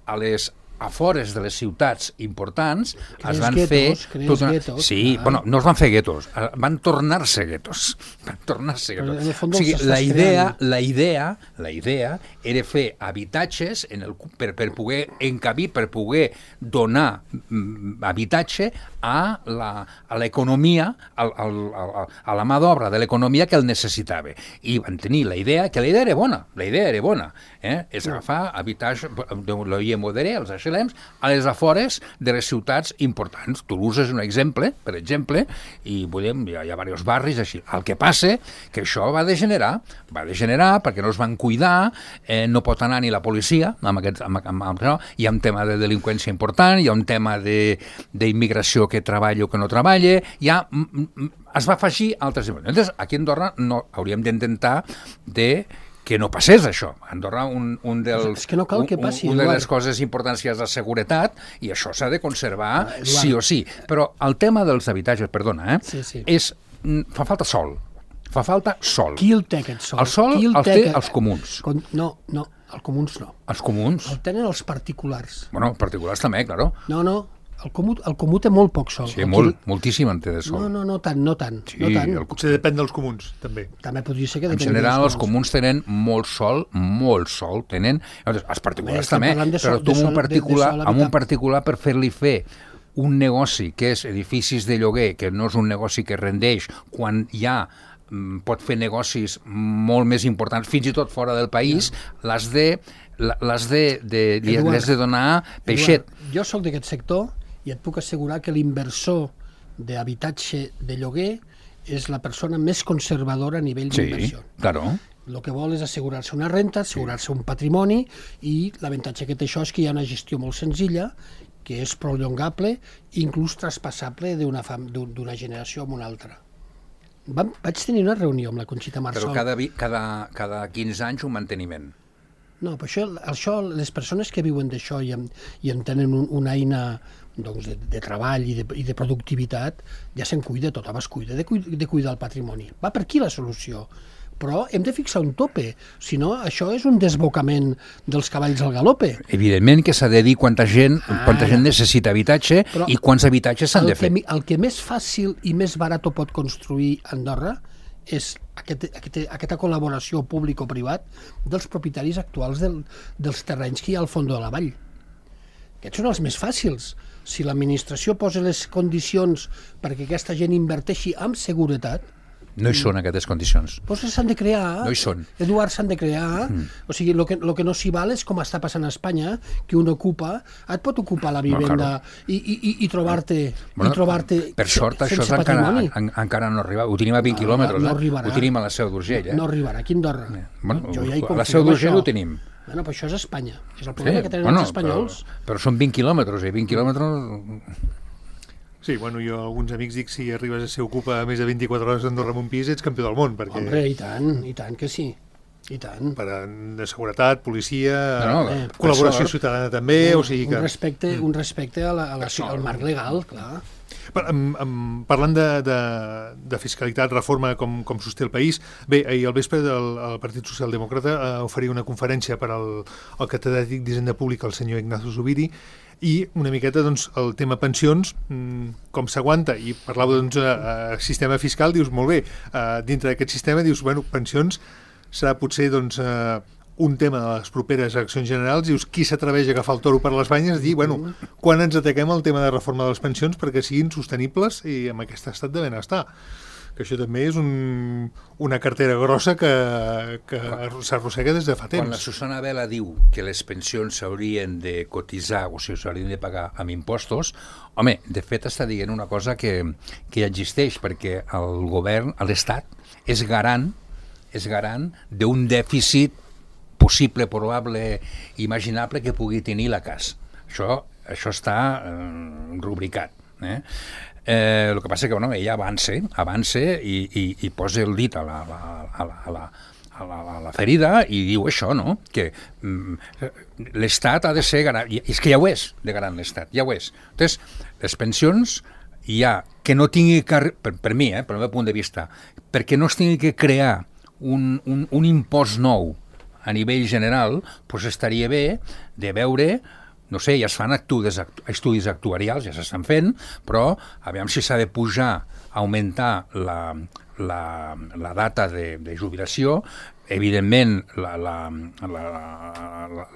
a les afores de les ciutats importants crees es van guetos, fer... Tot una... guetos, sí, ah. bueno, no es van fer guetos, van tornar-se guetos. Van tornar-se guetos. O sigui, la idea, la idea, la idea era fer habitatges en el, per, per poder encabir, per poder donar mm, habitatge a la, a l'economia, a, a, a, a la mà d'obra de l'economia que el necessitava. I van tenir la idea, que la idea era bona, la idea era bona, eh? És agafar habitatge, lo I M O D R, els H L Ms, a les afores de les ciutats importants. Toulouse és un exemple, per exemple, i podem, hi ha, hi ha diversos barris així. El que passa que això va degenerar, va degenerar perquè no es van cuidar, eh, no pot anar ni la policia, amb aquest, amb, amb, amb, no? Hi ha un tema de delinqüència important, hi ha un tema d'immigració que treballa o que no treballa, hi ha, es va afegir altres... Llavors, aquí a Andorra no, hauríem d'intentar de que no passés això. A Andorra un, un dels, és que no cal que passi, un, una de les coses importants és la seguretat i això s'ha de conservar ah, sí o sí. Però el tema dels habitatges, perdona, eh, sí, sí. és, fa falta sol. Fa falta sol. Qui el té, aquest sol? El sol el, el té els comuns. No, no. Els comuns no. Els comuns? El tenen els particulars. Bueno, particulars també, claro. No, no. El comú, el comú té molt poc sol. Sí, molt, moltíssim en té de sol. No, no, no tant, no tant. Sí, no tant. el... Potser depèn dels comuns, també. També podria ser que En depèn general, dels els comuns tenen molt sol, molt sol, tenen... Els particulars estem també, parlant de però sol- tu de amb un sol- de- de particular, sol amb un habitable. particular per fer-li fer un negoci que és edificis de lloguer, que no és un negoci que rendeix, quan ja mm, pot fer negocis molt més importants, fins i tot fora del país, l'has de, l'has de, de, li Eduard, has de donar peixet. Eduard, jo sóc d'aquest sector i et puc assegurar que l'inversor d'habitatge de lloguer és la persona més conservadora a nivell Sí, d'inversió. claro. El que vol és assegurar-se una renta, assegurar-se un patrimoni, i l'avantatge que té això és que hi ha una gestió molt senzilla, que és prolongable i inclús traspassable d'una fam- d'un- d'una generació a una altra. Vam, vaig tenir una reunió amb la Conxita Marsol. Però cada, vi- cada, cada quinze anys un manteniment. No, però això, això les persones que viuen d'això i, en, i en tenen un, una eina doncs, de, de treball i de, i de productivitat, ja se'n cuida, tothom es cuida de, cuida de cuidar el patrimoni. Va per aquí la solució. Però hem de fixar un tope, si no això és un desbocament dels cavalls al galope. Evidentment que s'ha de dir quanta gent, Ah, quanta gent necessita habitatge Però i quants habitatges s'han El de fer. que, mi- el que més fàcil i més barat pot construir Andorra és aquest, aquest, aquesta col·laboració públic-privat dels propietaris actuals del, dels terrenys que hi ha al fons de la vall. Aquests són els més fàcils. Si l'administració posa les condicions perquè aquesta gent inverteixi amb seguretat, No hi són aquestes condicions. doncs s'han de crear. No hi són. Eduard, s'han de crear. Mm. O sigui, el que, lo que no s'hi val és com està passant a Espanya, que un ocupa, et pot ocupar la vivenda claro. i, i, i trobar-te Bueno, i trobar-te per sort, sense això encara, patrimoni. en, encara no arriba. Ho tenim a vint No, quilòmetres, no eh? arribarà. Ho tenim a la Seu d'Urgell, eh? No arribarà aquí a Andorra. Bueno, Jo ja hi a la confio Seu en d'Urgell això. ho tenim. Bueno, però això és Espanya. És el problema que tenen els espanyols. Però, però són vint quilòmetres, eh? vint quilòmetres... Sí, bueno, jo a alguns amics dic si arribes a ser ocupa més de vint-i-quatre hores d'Andorra amb un pis, ets campió del món, perquè Hombre, i tant, i tant que sí. I tant. per a, de seguretat, policia, No, no, eh, per col·laboració sort. ciutadana també, o sigui que... Un respecte, un respecte a la, a la, al marc legal, clar. Per, amb, amb, parlant de, de, de fiscalitat, reforma, com, com sosté el país, bé, ahir al vespre el, el Partit Socialdemòcrata eh, oferia una conferència per al, al catedràtic d'Hisenda Pública, el senyor Ignacio Zubiri, i una miqueta doncs, el tema pensions, mmm, com s'aguanta, i parlava doncs, eh, eh, sistema fiscal, dius, molt bé, eh, dintre d'aquest sistema, dius, bueno, pensions serà potser doncs, eh, un tema de les properes eleccions generals, dius, qui s'atreveix a agafar el toro per les banyes i dir, bueno, quan ens ataquem el tema de reforma de les pensions perquè siguin sostenibles i amb aquest estat de benestar. Que això també és un, una cartera grossa que, que s'arrossega des de fa temps. Quan la Susana Vela diu que les pensions s'haurien de cotitzar o si s'haurien de pagar amb impostos, home, de fet està dient una cosa que, que ja existeix, perquè el govern, l'Estat, és garant, és garant d'un dèficit possible, probable, imaginable que pugui tenir la C A S. Això, això està eh, rubricat. Eh? Eh, el que passa que bueno, ella avance, avance i, i, i posa el dit a la, a la, a la, a la, a la, a la ferida i diu això, no? Que mm, l'Estat ha de ser garant. I és que ja ho és, de garant l'Estat, ja ho és. Entonces, les pensions hi ha que no tingui que, per, per mi, eh, per el meu punt de vista, perquè no es tingui que crear un, un, un impost nou a nivell general, doncs estaria bé de veure, no sé, ja es fan estudis, estudis actuarials, ja s'estan fent, però aviam si s'ha de pujar, augmentar la, la, la data de, de jubilació, evidentment la, la, la, la,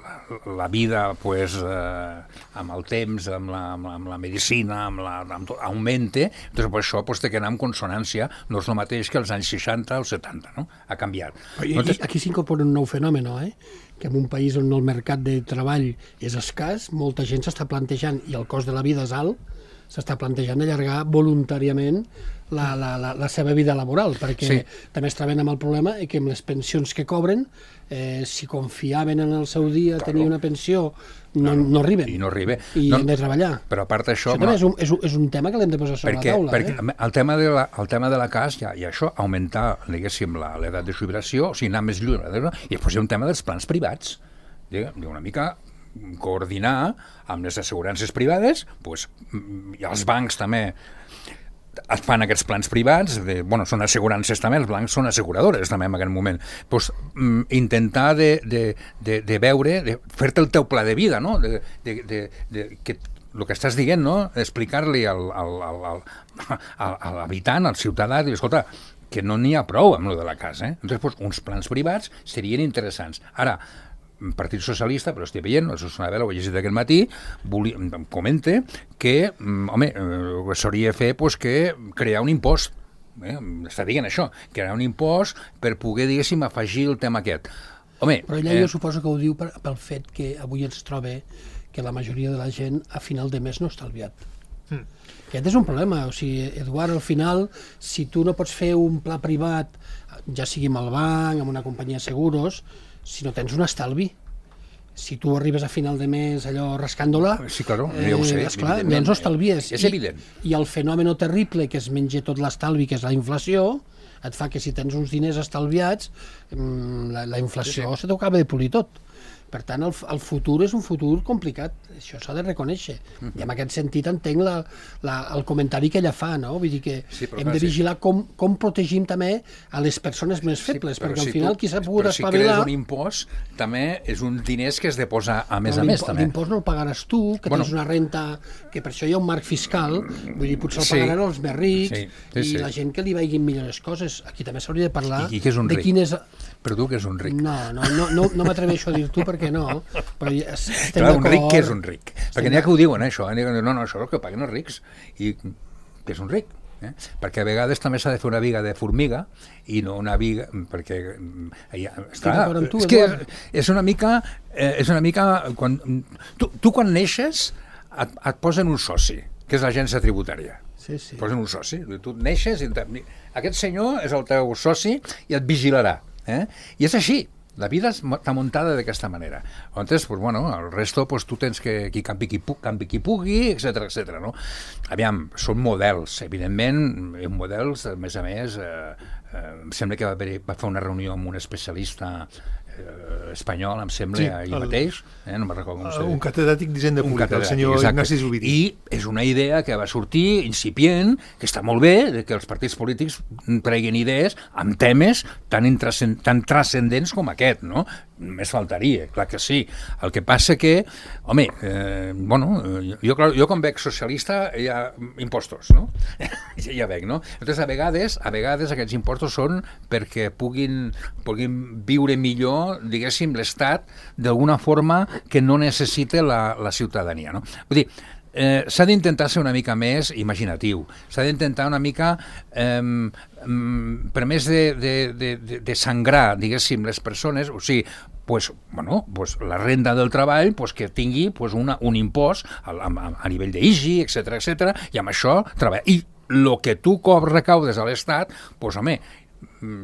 la vida pues, eh, amb el temps, amb la, amb la medicina, amb la, amb tot, augmente, doncs per això pues, té que anar en consonància, no és el mateix que els anys seixanta o setanta, no? Ha canviat. Aquí, Nosaltres... aquí s'incorpora un nou fenomen, eh? Que en un país on el mercat de treball és escàs, molta gent s'està plantejant, i el cost de la vida és alt, s'està plantejant allargar voluntàriament la, la, la, la seva vida laboral, perquè Sí. també es troben amb el problema que amb les pensions que cobren, eh, si confiaven en el seu dia Claro. tenir una pensió, no, no arriben. I no arriba. I No, han de treballar. però a part d'això... Això també és un, és, un, és un tema que l'hem de posar sobre perquè, la taula. perquè eh? el, tema de la, el tema de la C A S i, i això, augmentar, diguéssim, la- l'edat de jubilació, o sigui, anar més lluny, i després hi ha un tema dels plans privats, diguem, una mica coordinar amb les assegurances privades, pues, i els bancs també. es fan aquests plans privats, de, bueno, són assegurances també, els blancs són asseguradores també en aquest moment, pues, mm, intentar de, de, de, de veure, de fer-te el teu pla de vida, no? De, de, de, de, que el que estàs dient, no? Explicar-li al, al, al, al, al, a l'habitant, al ciutadà, dir, escolta, que no n'hi ha prou amb lo de la casa, eh? Entonces, pues, uns plans privats serien interessants. Ara, Partit Socialista, però estic veient, això és una vegada, ho he llegit aquest matí, volia, em comenta que, home, eh, s'hauria de fer pues, que crear un impost, eh? Està dient això, crear un impost per poder, diguéssim, afegir el tema aquest. Home, però ella eh... jo suposo que ho diu per, pel fet que avui ens troba que la majoria de la gent a final de mes no està estalviat. Mm. Aquest és un problema, o sigui, Eduard, al final, si tu no pots fer un pla privat, ja sigui amb el banc, amb una companyia de seguros, si no tens un estalvi, si tu arribes a final de mes allò rascant-la, sí, claro, eh, ja ho sé, esclar, doncs ho estalvies. És I, evident. I el fenomen terrible que es menja tot l'estalvi, que és la inflació, et fa que si tens uns diners estalviats, la, la inflació sí, sí. se t'ho acaba de polir tot. Per tant, el, el futur és un futur complicat, això s'ha de reconèixer. Uh-huh. I en aquest sentit entenc la, la, el comentari que ella fa, no? Vull dir que sí, hem de vigilar sí. com, com protegim també a les persones més febles, sí, perquè al si final tu, qui s'ha pogut espavilar... Però si crees un impost, també és un diners que has de posar a més a més, també. L'impost no el pagaràs tu, que bueno. tens una renta, que per això hi ha un marc fiscal, vull dir, potser el sí. pagaran els més rics, sí, sí, i sí. la gent que li vagin millors coses. Aquí també s'hauria de parlar I, i de quin és... Per tu que és un ric. No, no, no, no, no m'atreveixo a dir tu perquè no, però estem Clar, un ric que és un ric. Perquè n'hi ha que ho diuen, això. Eh? No, no, això és el que paguen els rics. I que és un ric. Eh? Perquè a vegades també s'ha de fer una viga de formiga i no una viga... Perquè... Ja, està, tu, és que és una mica... Eh, és una mica quan, tu, tu quan neixes et, et posen un soci, que és l'agència tributària. Sí, sí. Posen un soci. Tu neixes i... Aquest senyor és el teu soci i et vigilarà. Eh? I és així, la vida està muntada d'aquesta manera. Llavors, pues, bueno, el resto pues, tu tens que qui campi qui, pu campi qui pugui, etcètera, etcètera. No? Aviam, són models, evidentment, models, a més a més, eh, eh, em sembla que va, haver, va fer una reunió amb un especialista eh, espanyol, em sembla, sí, ahir el, mateix, eh, no me'n recordo com se un catedràtic d'Hisenda Pública, el senyor exacte. Ignasi Zubiri. I és una idea que va sortir incipient, que està molt bé, que els partits polítics treguin idees amb temes tan, tan transcendents com aquest, no? Més faltaria, clar que sí. El que passa que, home, eh, bueno, jo, jo quan veig socialista hi ha impostos, no? Ja veig, no? Llavors, a vegades, a vegades aquests impostos són perquè puguin, puguin viure millor, diguéssim, l'Estat d'alguna forma que no necessita la, la ciutadania, no? Vull dir, eh, s'ha d'intentar ser una mica més imaginatiu, s'ha d'intentar una mica, eh, per més de, de, de, de sangrar, diguéssim, les persones, o sigui, pues, bueno, pues, la renda del treball pues, que tingui pues, una, un impost a, a, a nivell d'I G I, etcètera, etcètera, i amb això treballa. I el que tu recaudes a l'Estat, pues, home,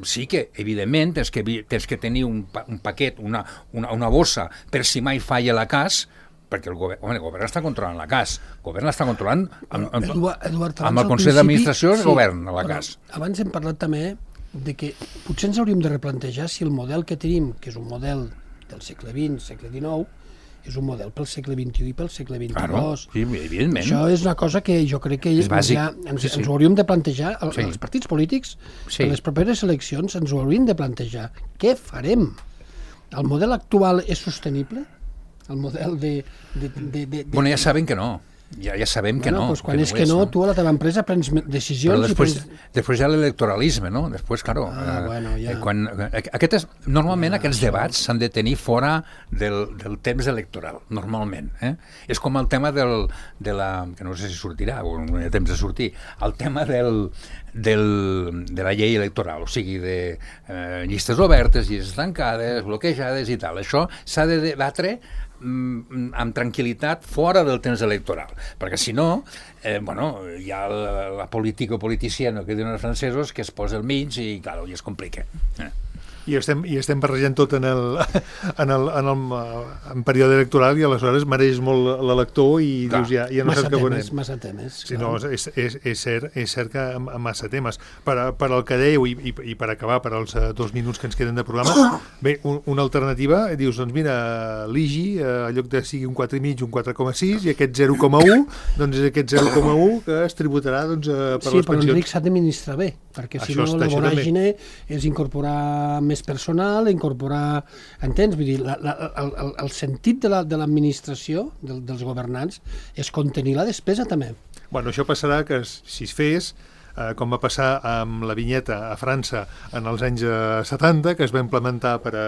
sí que, evidentment, tens que, tens que tenir un, un paquet, una, una, una bossa, per si mai falla la cas, perquè el govern, home, el govern està controlant la cas, el govern està controlant amb, amb, Eduard, Eduard, amb el Consell d'Administració del sí, govern a la cas. Abans hem parlat també de que potser ens hauríem de replantejar si el model que tenim, que és un model del segle vint, segle dinou, és un model pel segle vint-i-u i pel segle vint-i-dos. Claro, sí, evidentment. Això és una cosa que jo crec que ja ens, sí, sí. ens ho hauríem de plantejar, el, sí. els partits polítics, sí. en les properes eleccions ens ho haurien de plantejar. Què farem? El model actual és sostenible? El model de... de, de, de, de... Bueno, ja saben que no. Ja, ja sabem bueno, que no. Pues quan que és no que és, no, no, tu a la teva empresa prens decisions... Però després, i prens... després hi ha l'electoralisme, no? Després, claro, ah, eh, bueno, ja. quan, aquest és, normalment ja, aquests això... debats s'han de tenir fora del, del temps electoral, normalment. Eh? És com el tema del, de la... que no sé si sortirà, o no hi ha temps de sortir, el tema del, del, de la llei electoral, o sigui, de eh, llistes obertes, llistes tancades, bloquejades i tal. Això s'ha de debatre amb tranquil·litat fora del temps electoral, perquè si no, eh, bueno, hi ha la, la política o politiciana que diuen els francesos que es posa al mig i, clar, i es complica. Eh. I estem, i estem barrejant tot en el, en el, en el en període electoral i aleshores mereix molt l'elector i Clar. dius, ja, ja no massa saps què temes, veurem. massa temes. Sí, no, és, és, és, cert, és cert que amb, amb massa temes. Per, a, per al que dèieu, i, i, i per acabar, per als uh, dos minuts que ens queden de programa, bé, un, una alternativa, dius, doncs mira, l'I G I, uh, en lloc de sigui un quatre coma cinc, un quatre coma sis, i aquest zero coma un, doncs és aquest zero coma un que es tributarà doncs, uh, per sí, les pensions. Sí, però Enric s'ha d'administrar bé, perquè si Això no està, la això voràgine és incorporar més personal, incorporar... Entens? Vull dir, la, la, el, el, el sentit de l'administració, la, de del, dels governants, és contenir la despesa també. Bueno, això passarà que si es fes, eh, com va passar amb la vinyeta a França en els anys eh, setanta, que es va implementar per a,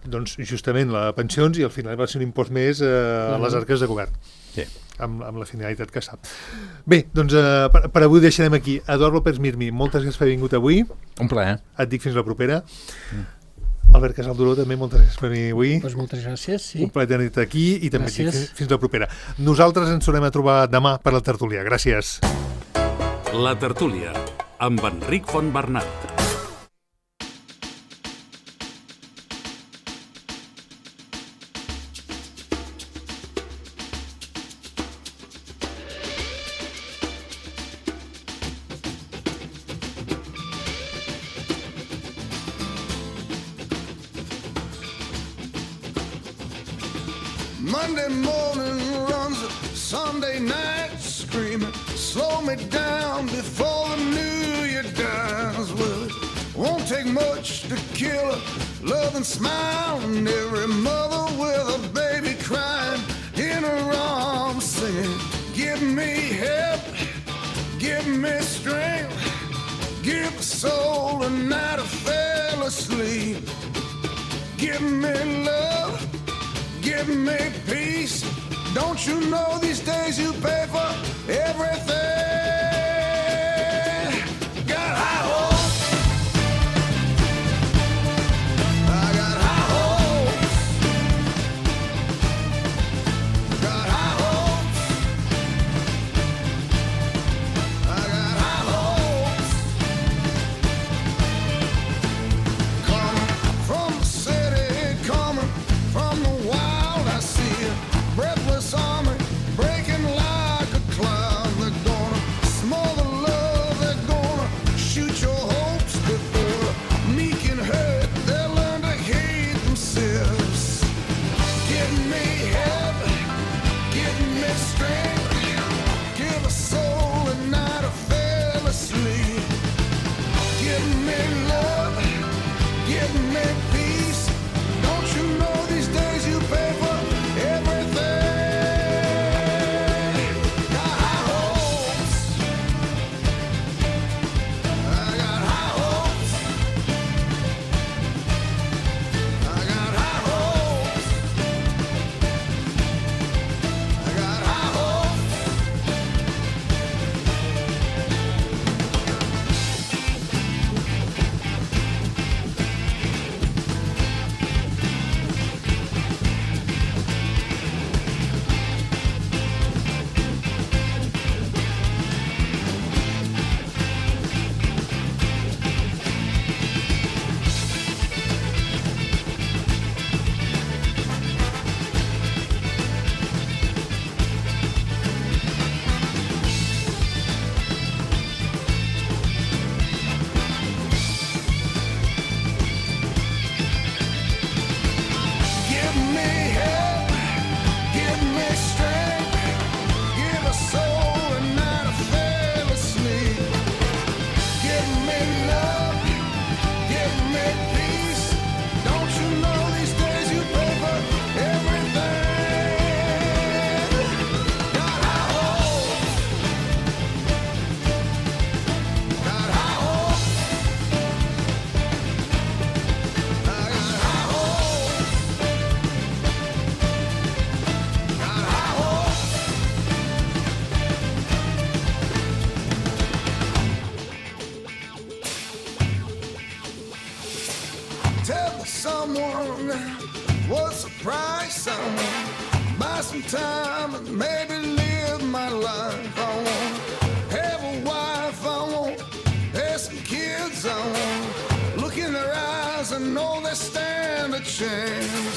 doncs, justament les pensions i al final va ser un impost més eh, a les arques de govern. Sí. Amb, amb la finalitat que sap. Bé, doncs eh, per, per avui deixarem aquí. Eduard López Mirmi, moltes gràcies per haver vingut avui. Un plaer. Et dic fins la propera. Mm. Albert Casalduró, també moltes gràcies per venir avui. Pues moltes gràcies, sí. Un plaer tenir-te aquí i també et dic Gràcies. fins, fins la propera. Nosaltres ens tornem a trobar demà per la tertúlia. Gràcies. La tertúlia, amb Enric Fontbernat. Monday morning runs Sunday night screaming, slow me down before the new year dies. Well, it won't take much to kill a loving smile, and every mother with a baby crying in her arms singing, give me help, give me strength, give the soul a night I fell asleep, give me love, give me peace. Don't you know these days you pay for everything? Got high hopes. I got high hopes. Got high hopes. I got high hopes. Coming from the city, coming from the wild, I see a breathless army breaking like a cloud. They're gonna smother love, they're gonna shoot your hopes before the meek and hurt. They'll learn to hate themselves. Give me help, give me strength, give a soul a night I fell asleep. Give me love, give me peace. Don't you know these days you pay for everything? Got high hopes. I got high hopes. I got high hopes. I got high hopes. Give me help, give me strength, give a soul a night I fell asleep. Give me love, give me peace. Don't you know these days you pay for everything? Got high hopes. Got high hopes. I got high hopes. Got high hopes. Tell someone what's the price. I want buy some time and maybe live my life. I want have a wife. I want have some kids. I want look in their eyes and know chance.